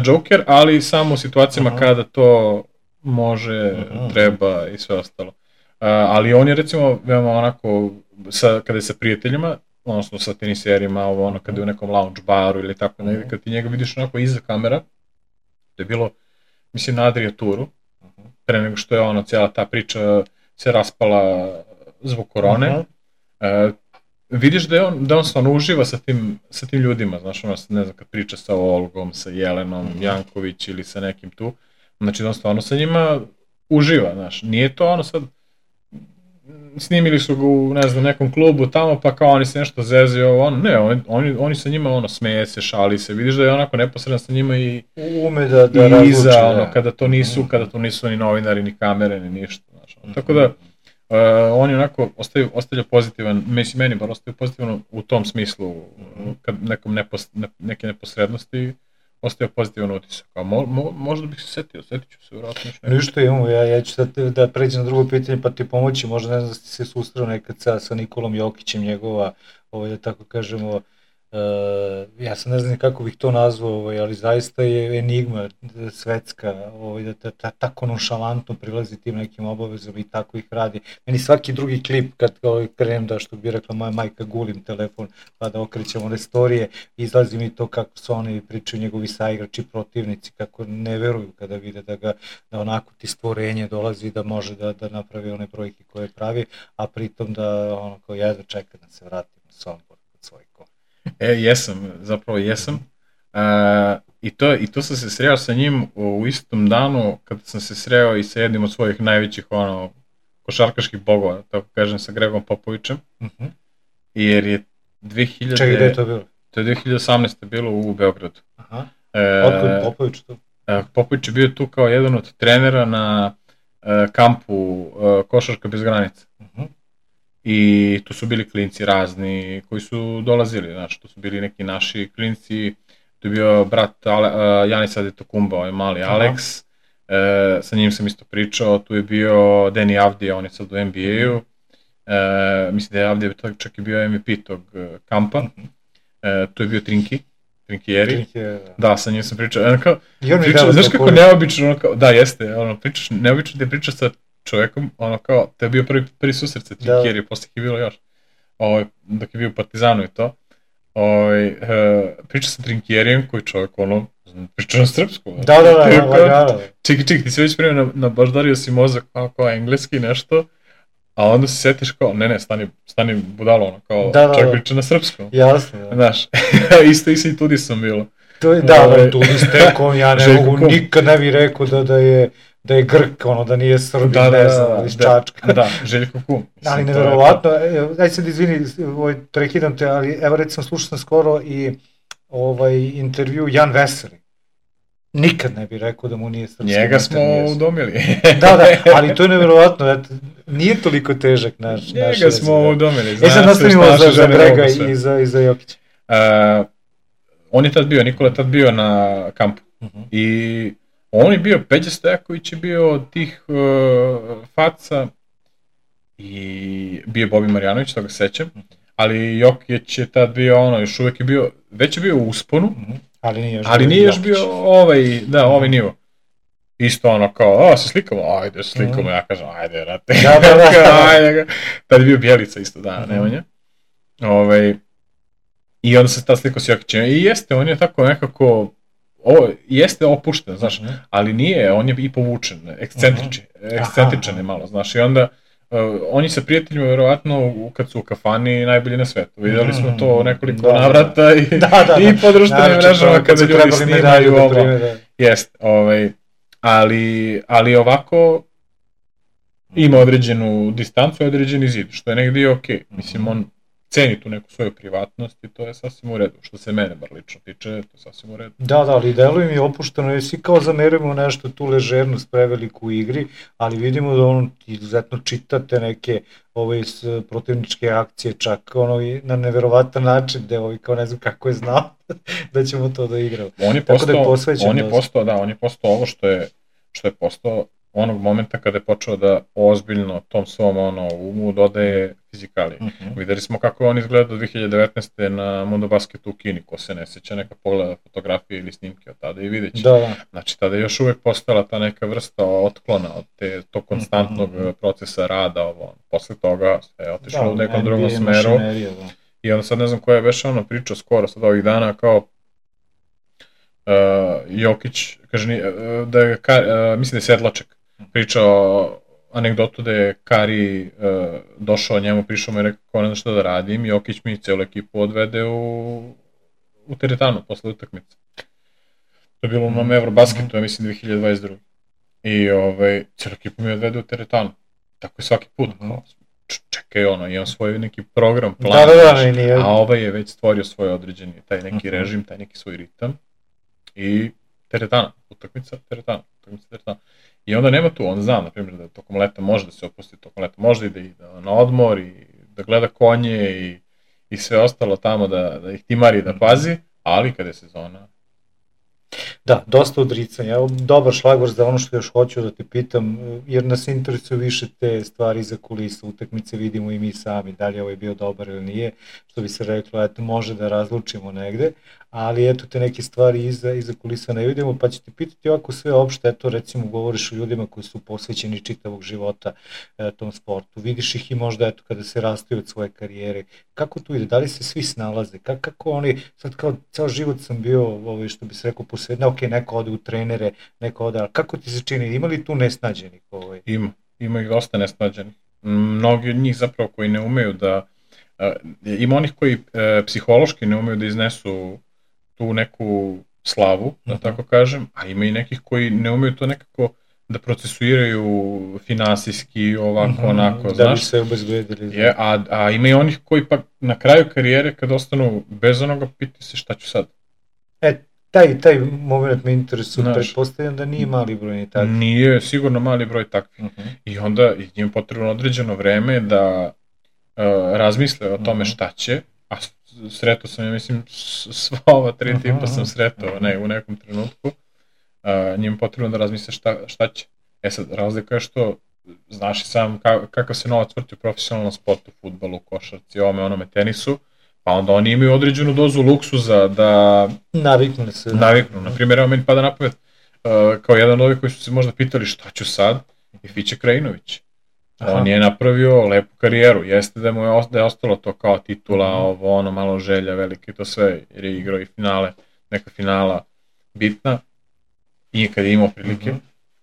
Joker, ali samo u situacijama kada to može, treba i sve ostalo. Ali on je recimo veoma onako, kada je sa prijateljima, odnosno sa teniserima, kada je u nekom lounge baru ili tako negdje, kad ti njega vidiš onako iza kamera, to je bilo, mislim, na Adria Touru, pre nego što je cijela ta priča se raspala zbog korone, vidiš da on stvarno uživa sa tim ljudima, znaš, ne znam, kad priča sa Olgom, sa Jelenom, Janković ili sa nekim tu, znači da on stvarno sa njima uživa, znaš, nije to sad, snimili su ga u, ne znam, nekom klubu tamo, pa kao oni se nešto zezio, ne, oni sa njima, smeje se, šali se, vidiš da je onako neposredno sa njima i ume da iza, kada to nisu ni novinari, ni kamere, ni ništa, znaš, tako da, on je onako ostavlja pozitivan, meni bar ostavlja pozitivan u tom smislu, kad neke neposrednosti ostavlja pozitivan utisak, a možda bih se setit ću se vjerojatno još nešto. Ništa imamo, ja ću sad da pređem na drugo pitanje pa ti pomoći, možda ne znam da si se susreo nekad sa Nikolom Jokićem, njegova, da tako kažemo, ja sam ne znam kako bih to nazvao, ali zaista je enigma svetska, da tako nonšalantno prilazi tim nekim obavezama i tako ih radi. Meni svaki drugi klip kad krenem da, što bi rekla moja majka, gulim telefon pa da okrećem one storije, izlazi mi to kako su oni pričaju njegovi saigrači, protivnici, kako ne veruju kada vide da onako ti stvorenje dolazi da može da napravi one brojke koje pravi, a pritom da ono kao jedva čeka da se vratim na Sombor kod svojih kona. Zapravo jesam. I to sam se sreo sa njim u istom danu kada sam se sreo i sa jednim od svojih najvećih košarkaških bogova, tako kažem, sa Gregom Popovićem. Jer je 2000... Čekaj, gde je to bilo? To je 2018. bilo u Beogradu. Otkud Popović tu? Popović je bio tu kao jedan od trenera na kampu Košarka bez granica. I tu su bili klinci razni koji su dolazili, znači tu su bili neki naši klinci, tu je bio brat Janisa Antetokounmpa, ovaj mali Alex, sa njim sam isto pričao, tu je bio Deni Avdija, on je sad u NBA-u, mislim da je Avdija čak i bio MVP tog kampa, tu je bio Trinkieri, da, sa njim sam pričao, znaš kako neobično, da jeste, neobično da pričaš sa čovjekom, kao, to je bio prvi susret sa Trinkieri, posle je bilo još, dok je bio u Partizanu i to, priča sa Trinkierijem koji čovjek, priča na srpsku. Da. Čekaj, ti si već primio nabaždario si mozak, kao engleski nešto, a onda se setiš kao, ne, stani budalo, kao, čovjek priča na srpskom. Jasno, da. Znaš, isto i Tudisom bilo. Da, Tudis tekom, ja ne mogu, nikad ne bih rekao da je Grk, da nije Srbin, ne znam, iz Čačka. Da, Željko Kum. Ali nevjerovatno, daj sad izvini, prekidam te, ali evo recimo slušao sam skoro i intervju Jan Veseli. Nikad ne bih rekao da mu nije srpski. Njega smo udomili. Da, ali to je nevjerovatno, nije toliko težak naš jezik. Njega smo udomili, sad nastavimo za Grega i za Jokića. On je tad bio, Nikola je tad bio na kampu. I on je bio, Peđa Stojaković je bio od tih faca i bio Bobi Marjanović, toga sećam, ali Jokić je tad bio još uvek je bio, već je bio u usponu. Ali nije još bio ovaj nivo. Isto ono kao, se slikamo, ajde se slikamo, ja kažem, ajde, rate, ajde, tad je bio Bjelica isto, Nemanja. I onda se ta slika s Jokićem, i jeste, on je tako nekako, jeste opušten, znaš, ali nije, on je i povučen, ekscentričan je malo, znaš, i onda, oni sa prijateljima, verovatno, kad su u kafani, najbolji na svetu. Vidjeli smo to nekoliko navrata i po društvenim mrežama kada ljudi snimaju ovo. Jest, ali ovako ima određenu distancu i određeni zid, što je negdje okej. Mislim, on ceni tu neku svoju privatnost i to je sasvim u redu. Što se mene bar lično tiče, to je sasvim u redu. Da, ali deluje mi opušteno, jer svi kao zamerujemo nešto tu ležernost preveliku u igri, ali vidimo da on izuzetno čita te neke protivničke akcije, čak na neverovatan način, gde kao ne znam kako je znao da ćemo to da igramo. On je postao ovo što je postao onog momenta kada je počeo da ozbiljno tom svom umu dodaje fizikalije. Videli smo kako je on izgledao 2019. na Mundo Basketu u Kini, ko se ne sjeća, neka pogleda fotografije ili snimke od tada i vidjet će. Znači, tada je još uvek postala ta neka vrsta otklona od tog konstantnog procesa rada. Posle toga je otišlo u nekom drugom smeru. I onda sad ne znam koja je već pričao skoro sad ovih dana kao Jokić, kaže, mislim da je Sedlaček, pričao anegdotu da je Kari došao njemu, prišao mu i rekao kao ne znam što da radim, Jokić mi celu ekipu odvede u teretanu posle utakmice. To je bilo u onom Eurobasketu, ja mislim 2022. I celu ekipu mi odvede u teretanu. Tako je svaki put. Čekaj imam svoj neki program, plan, a ovaj je već stvorio svoj određeni, taj neki režim, taj neki svoj ritam. I teretana, utakmica, teretana. I onda nema tu, on zna, na primjer, da tokom leta može da se opusti, tokom leta može da ide na odmor i da gleda konje i sve ostalo tamo, da ih timari, da pazi, ali kada je sezona... Da, dosta odricanja. Evo, dobar šlagvor za ono što još hoću da te pitam, jer nas interesuju više te stvari iza kulisa, utakmice vidimo i mi sami, da li je ovaj bio dobar ili nije, što bi se reklo, eto, može da razlučimo negde, ali eto te neke stvari iza kulisa ne vidimo, pa ću te pitati ovako sve opšte, eto recimo govoriš o ljudima koji su posvećeni čitavog života tom sportu, vidiš ih i možda eto kada se rastaju od svoje karijere, kako tu ide, da li se svi snalaze, kako oni, sad kao ceo život sam bio, što bi se rekao, posvetno, ok, neko ode u trenere, neko ode, ali kako ti se čini, ima li tu nesnađenih? Ima ih dosta nesnađenih, mnogi od njih zapravo koji ne umeju da, ima onih koji psihološki ne umeju da iznesu tu neku slavu, da tako kažem, a ima i nekih koji ne umeju to nekako da procesuiraju finansijski, ovako, onako, znaš. Da bi se obezbedili. A ima i onih koji pa na kraju karijere, kad ostanu bez onoga, piti se šta ću sad. Taj moment me interesuje, pretpostavljam da nije mali broj ni takvih. Nije sigurno mali broj takvih. I onda njim potrebno određeno vreme da razmisle o tome šta će, a sretao sam, ja mislim, sva ova 3 tipa sam sretao u nekom trenutku, njim potrebno da razmisle šta će. Sad, razlika je što, znaš i sam kakav se novac vrti u profesionalnom sportu, fudbalu, košarci, onome tenisu, pa onda oni imaju određenu dozu luksuza da... Naviknu se. Na primjer, evo meni pada na pamet, kao jedan od ovih koji su se možda pitali šta ću sad, je Fiće Krajinović. On je napravio lepu karijeru, jeste da je ostalo to kao titula, malo želja velike i to sve, jer je igrao i finale, neka finala bitna, i kad je imao prilike,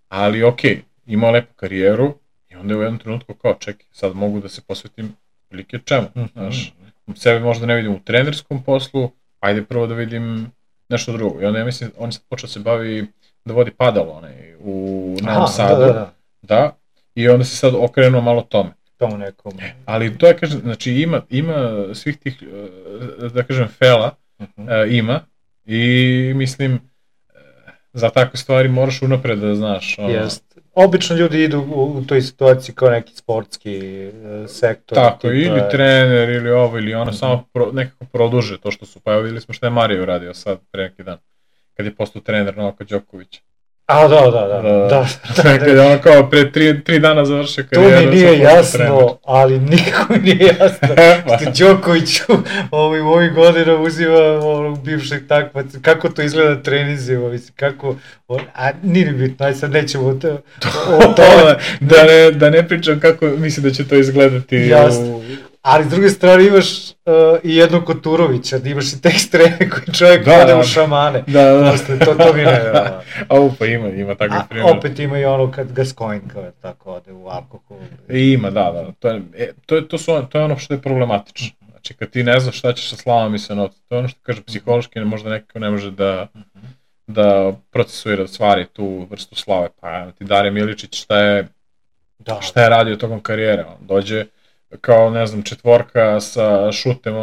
ali okej, imao lepu karijeru i onda je u jednom trenutku kao čekaj, sad mogu da se posvetim prilike čemu, znaš, sebe možda ne vidim u trenerskom poslu, ajde prvo da vidim nešto drugo. I onda ja mislim, on je sad počeo se bavi da vodi padal u Novom Sadu. Da. I onda se sad okrenuo malo tome. Tomu nekom. Ali to je, kažem, znači ima svih tih, da kažem, fela, ima. I mislim, za takve stvari moraš unapred da znaš. Jest. Obično ljudi idu u toj situaciji kao neki sportski sektor. Tako, ili trener, ili ovo, ili ono, samo nekako produže to što su, pa evo vidjeli smo što je Mario uradio sad pre neki dan, kad je postao trener Novaka Đokovića. A, da. Kad je ono kao pre 3 dana završio karijeru. To mi nije jasno, ali nikako mi nije jasno što Đoković u ovih godina uzima bivšeg takmaca, kako to izgleda trenizima, mislim, kako, a nije mi bitno, aj sad nećemo o tome. Da ne pričam kako mislim da će to izgledati. Jasno. Ali s druge strane imaš i jednog Koturovića, da imaš i te ekstreme koji čovjek ode u šamane. Da. To mi ne. Pa ima takvih primjera. Opet ima i ono kad Gascoigne kao tako ode u alkohol. Ima, da. To je ono što je problematično. Znači kad ti ne znaš šta ćeš sa slavom i sa novcem, to je ono što kaže psihološki, možda neko ne može da procesuira stvari tu vrstu slave. Pa ti Dare Miličić šta je radio tokom karijere, on dođe kao, ne znam, četvorka sa šutem,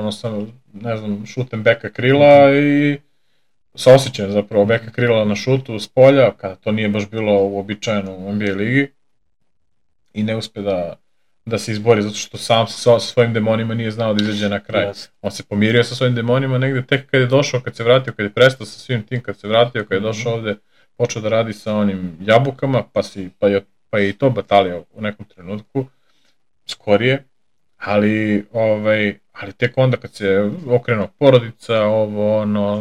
šutem beka krila i sa osjećajem zapravo beka krila na šutu s polja, kada to nije baš bilo uobičajeno u NBA ligi i ne uspe da se izbori zato što sam sa svojim demonima nije znao da izađe na kraj. Yes. On se pomirio sa svojim demonima negde tek kad je došao, kad se vratio, kad je prestao sa svim tim, kad se vratio, kad je došao ovde, počeo da radi sa onim jabukama, pa je i to batalio u nekom trenutku, skorije. Ali tek onda kad se okrenuo porodica,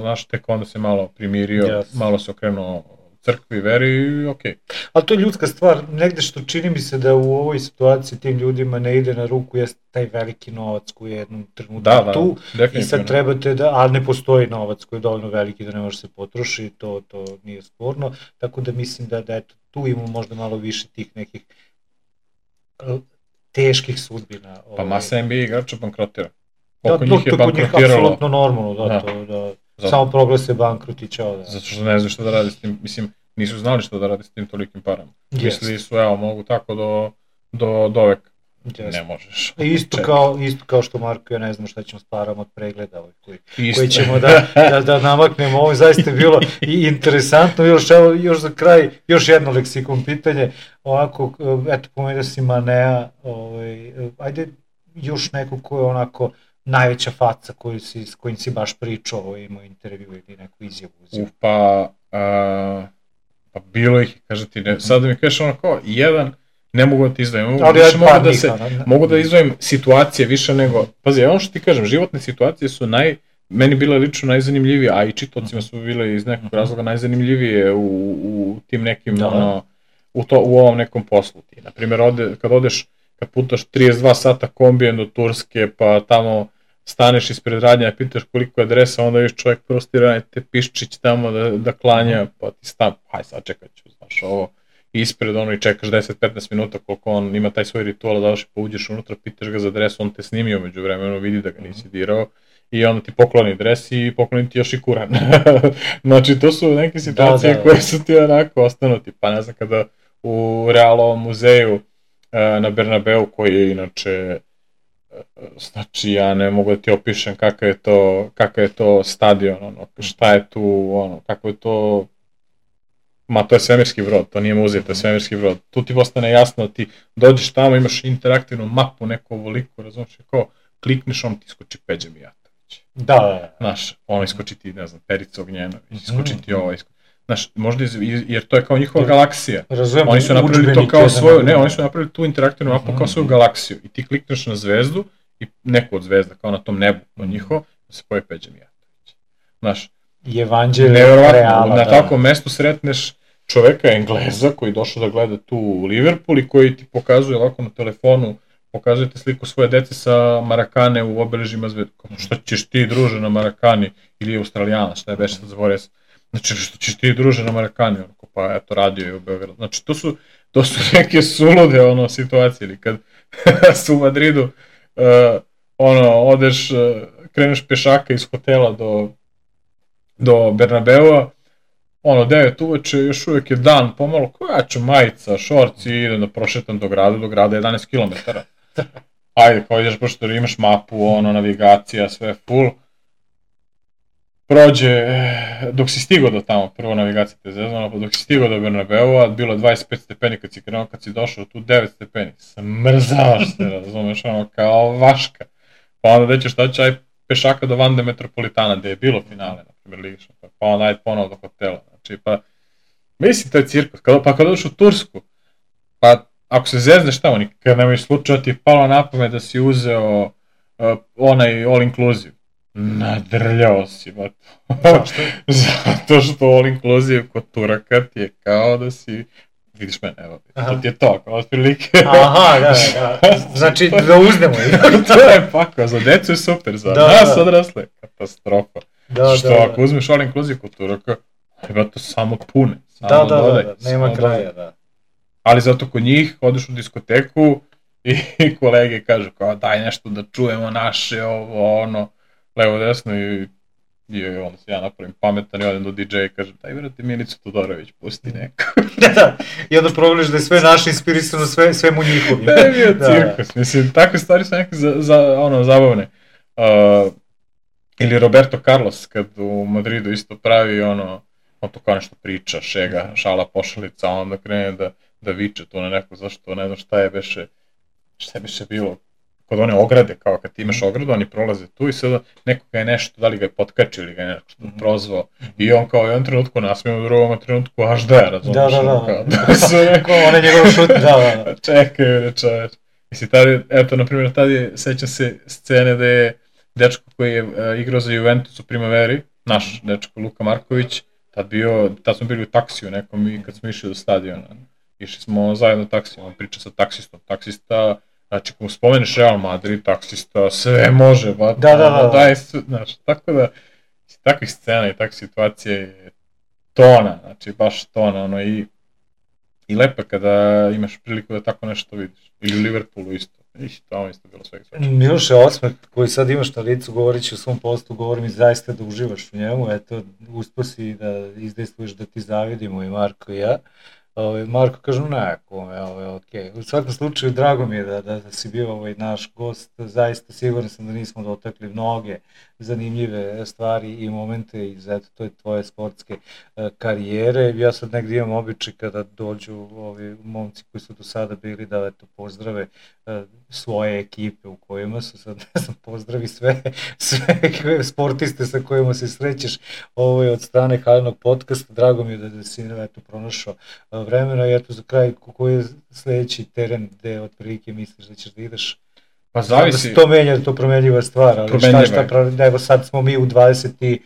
znaš, tek onda se malo primirio, malo se okrenuo crkvi, veri i okej. Ali to je ljudska stvar, negde što čini mi se da u ovoj situaciji tim ljudima ne ide na ruku jeste taj veliki novac koji je jednom trenutku tu i sad trebate ali ne postoji novac koji je dovoljno veliki da ne može se potroši, to nije sporno, tako da mislim da eto, tu imamo možda malo više tih nekih teških sudbina. Pa masa NBA igrača bankrotira. Oko njih je bankrotiralo. Apsolutno normalno, samo proglase bankrot i čao. Zato što ne znaju što da radi s tim, mislim, nisu znali što da radi s tim tolikim parama. Mislili su, mogu tako do veka. Ne možeš. Isto kao što Marko, ja ne znam šta ćemo s parama od pregleda koji ćemo da namaknemo. Ovo je zaista bilo i interesantno. Još za kraj, još jedno leksikon pitanje. Ovako, eto, pomenuo si Manea, ajde još neko ko je onako najveća faca s kojim si baš pričao, imao intervju ili neku izjavu. Pa bilo ih, kaže ti, sad da mi kažeš onako, jedan, ne mogu da ti izdvojim, mogu da izdvojim situacije više nego, pazi, ono što ti kažem, životne situacije su meni bile lično najzanimljivije, a i čitocima su bile iz nekog razloga najzanimljivije u tim nekim, u ovom nekom poslu. Ti, na primjer, kad putaš 32 sata kombijem do Turske, pa tamo staneš ispred radnja, pitaš koliko je adresa, onda još čovjek prostira te piščić tamo da klanja, pa ti haj sad čekat ću, znaš, ovo ispred i čekaš 10-15 minuta koliko on ima taj svoj ritual, da pa uđeš unutra, pitaš ga za adresu, on te snimio među vremenu, vidi da ga nisi dirao i onda ti pokloni adres i pokloni ti još i kuran. Znači, to su neke situacije koje su ti onako ostanuti, pa ne znam, kada u Realovom muzeju na Bernabeu, koji je inače, znači ja ne mogu da ti opišem kakav je to stadion, šta je tu, kako je to, to je svemirski brod, to nije muzej, to je svemirski brod. Tu ti postane jasno da ti dođeš tamo, imaš interaktivnu mapu neku ovoliku, razumiješ, kao klikneš, on ti iskoči Peđa Mijatović. Da. Znaš, ono iskoči ti, ne znam, Perica Ognjenović, iskoči ti ovo, znaš, možda, jer to je kao njihova galaksija. Razumijem, oni su napravili to kao svoju, oni su napravili tu interaktivnu mapu kao svoju galaksiju i ti klikneš na zvezdu i neku od zvezda, kao na tom nebu, njihovo, da se pojavi Peđa Mijatović. Znaš, nevjerovatno, na takvom mestu sretneš čoveka Engleza koji je došao da gleda tu Liverpool i koji ti pokazuje ovako na telefonu, pokazujete sliku svoje dece sa Marakane u obeležima zvezda. Šta ćeš ti, druže, na Marakani ili Australijana, šta je beše sad zaboravio sam. Znači, što ćeš ti, druže, na Marakani, pa eto, radio je u Beogradu. Znači, to su neke sulude situacije, ili kad su u Madridu, odeš, kreneš pešaka iz hotela do Bernabeua, 9 uveče, još uvijek je dan, pomalo, koja ću majica, šorci, idem da prošetam do grada je 11 km. Ajde, kao ideš, pošto imaš mapu, navigacija, sve full. Prođe, dok si stigao do tamo, prvo navigacija te zezvala, pa dok si stigao do Bernabeua, bilo je 25 stepeni kad si krenuo, kad si došao tu 9 stepeni. Smrzavaš se, razumeš, kao vaška. Pa onda da ćeš doći, aj pešaka do Vande Metropolitana, gde je bilo finale, na primjer, Ligi Šampiona, pa onda ajde ponovo do hotela. Znači, pa Mislim, to je cirkus. Pa kad odeš u Tursku, pa ako se zezneš tamo, nikad nemoj slučaja ti je palo na pamet da si uzeo onaj all inclusive. Nadrljao si, ba to. Zašto? Zato što all inclusive kod Turaka ti je kao da si... Vidiš mene, evo, to ti je to, kao otprilike. Aha, da. Znači, da uznemo i... To je pakao, za decu je super, za nas odrasle, katastrofa. Što ako uzmeš all inclusive kod Turaka, ima to samo pune. Da, nema kraja, da. Ali zato kod njih odeš u diskoteku i kolege kažu kao daj nešto da čujemo naše, ovo, ono, levo, desno i onda se ja napravim pametan i odem do DJ-a i kažem daj vrati Milicu Todorović, pusti neko. Da, i onda progledaš da je sve naše inspirisano, sve mu njihovi. Da je bio cirkus, mislim, takve stvari su neke zabavne. Ili Roberto Carlos kad u Madridu isto pravi on to kao nešto priča, šega, šala, pošalica, a onda krene da viče tu na neko, zašto, ne znam šta je beše bilo, kod one ograde, kao kad ti imaš ogradu, oni prolaze tu i sada nekoga je nešto, da li ga je potkačio ili ga je nešto prozvao, i on kao u jednom trenutku nasmijemo, u drugom trenutku až da je, razumiješ, kao one njegove šut, da. Čekaj, čoveč. Mislim, eto, na primjer, tad je, sećam se scene da je dečko koji je igrao za Juventus u Primaveri, naš dečko Luka Marković, tad smo bili u taksiju nekom i kad smo išli do stadiona, išli smo zajedno taksijom, on priča sa taksistom, taksista, znači ako mu spomeneš Real Madrid, taksista, sve može, daj sve, znači, tako da, takvih scena i takvih situacija je tona, znači baš tona, i lepo kada imaš priliku da tako nešto vidiš, ili u Liverpoolu isto. Tamo isto bilo svega svačega. Miloše, osmeh koji sad imaš na licu, govorit ću o svom postu, govorim i zaista da uživaš u njemu, eto, uspio si da izdejstvuješ da ti zavidimo i Marko i ja. Marko kažu okej. U svakom slučaju, drago mi je da si bio naš gost, zaista siguran sam da nismo dotakli mnoge zanimljive stvari i momente iz to tvoje sportske karijere. Ja sad negdje imam običaj kada dođu ovi momci koji su do sada bili da pozdrave svoje ekipe u kojima su, sad ne znam, pozdravi sve sportiste sa kojima se srećeš od strane Halinog podcasta. Drago mi je da si pronašao vremena i eto za kraj, koji je sledeći teren gde otprilike misliš da ćeš da ideš? Pa zavisi. Da se to menja, to promenljiva stvar, ali evo sad smo mi u 28.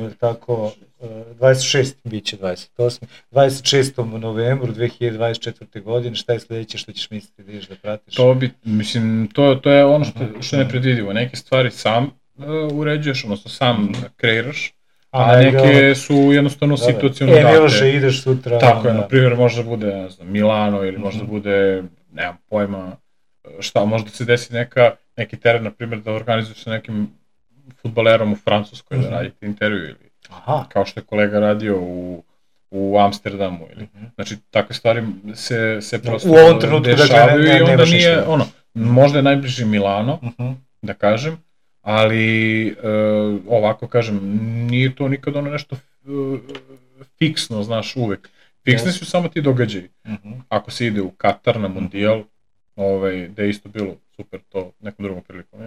ili tako, 26. bit će 28. 26. novembru 2024. godine, šta je sledeće što ćeš misliti da ideš da pratiš? To je ono što je nepredvidivo, neke stvari sam uređuješ, odnosno sam kreiraš, a neke su jednostavno situacijno date. Miloše, ideš sutra. Tako je, na primjer, možda bude, ne znam, Milano ili možda bude, nemam pojma, šta, možda se desi neki teren, na primjer, da organizuješ sa nekim fudbalerom u Francuskoj, da radite intervju ili kao što je kolega radio u Amsterdamu ili, znači, takve stvari se prosto dešavaju i onda nije, možda je najbliži Milano, da kažem, ali ovako kažem, nije to nikad nešto fiksno, znaš, uvek. Fiksni su samo ti događaji. Ako se ide u Katar na Mundijal, da je isto bilo super to nekom drugom prilikom,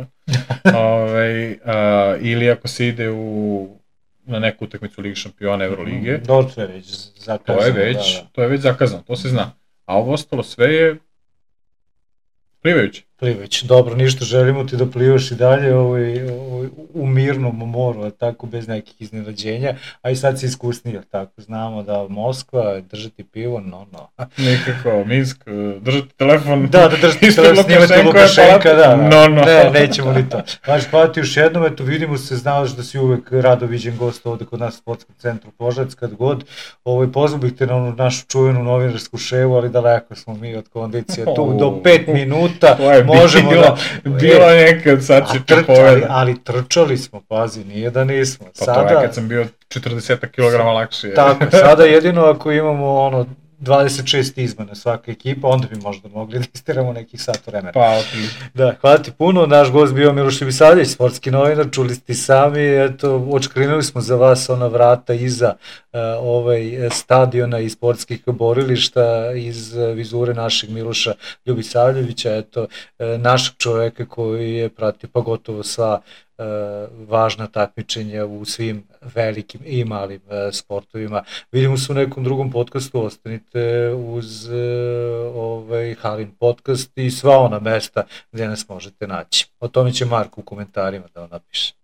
ili ako se ide na neku utakmicu Lige šampiona, Eurolige, to je već zakazano. To je već zakazano, to se zna. A ovo ostalo sve je plivajuće. Dobro, ništa, želimo ti da plivaš i dalje u mirnom moru, tako, bez nekih iznenađenja, a i sad si iskusniji, tako, znamo da Moskva, držati pivo, Nekako, Minsk, držati telefon. Da držati telefon, snimati Lukašenka, ne, nećemo ni to. Znači, hvala ti još jednom, eto, vidimo se, znaš da si uvek rado viđen gost ovde kod nas u Sportskom centru Požarevac, kad god, pozvao bih te na našu čuvenu novinarsku ševu, ali daleko smo mi od kondicije, tu do 5 minuta, možemo da... Bilo nekad, sad se prepoveda. Ali trčali smo, pazi, nije da nismo. Pa to je kad sam bio 40 kg lakše. Tako, sada jedino ako imamo 26 izmena svaka ekipa, onda bi možda mogli da istiramo nekih sat vremena. Pa, otprilike. Da, hvala ti puno, naš gost bio Miloš Ljubisavljević, sportski novinar, čuli ste sami, eto, očkrinuli smo za vas ona vrata iza stadiona i sportskih borilišta iz vizure našeg Miloša Ljubisavljevića, eto, našeg čoveka koji je pratio pa gotovo sva važna takmičenja u svim velikim i malim sportovima. Vidimo se u nekom drugom podcastu, ostanite uz Halin podcast i sva ona mesta gdje nas možete naći. O tome će Marko u komentarima da vam napiše.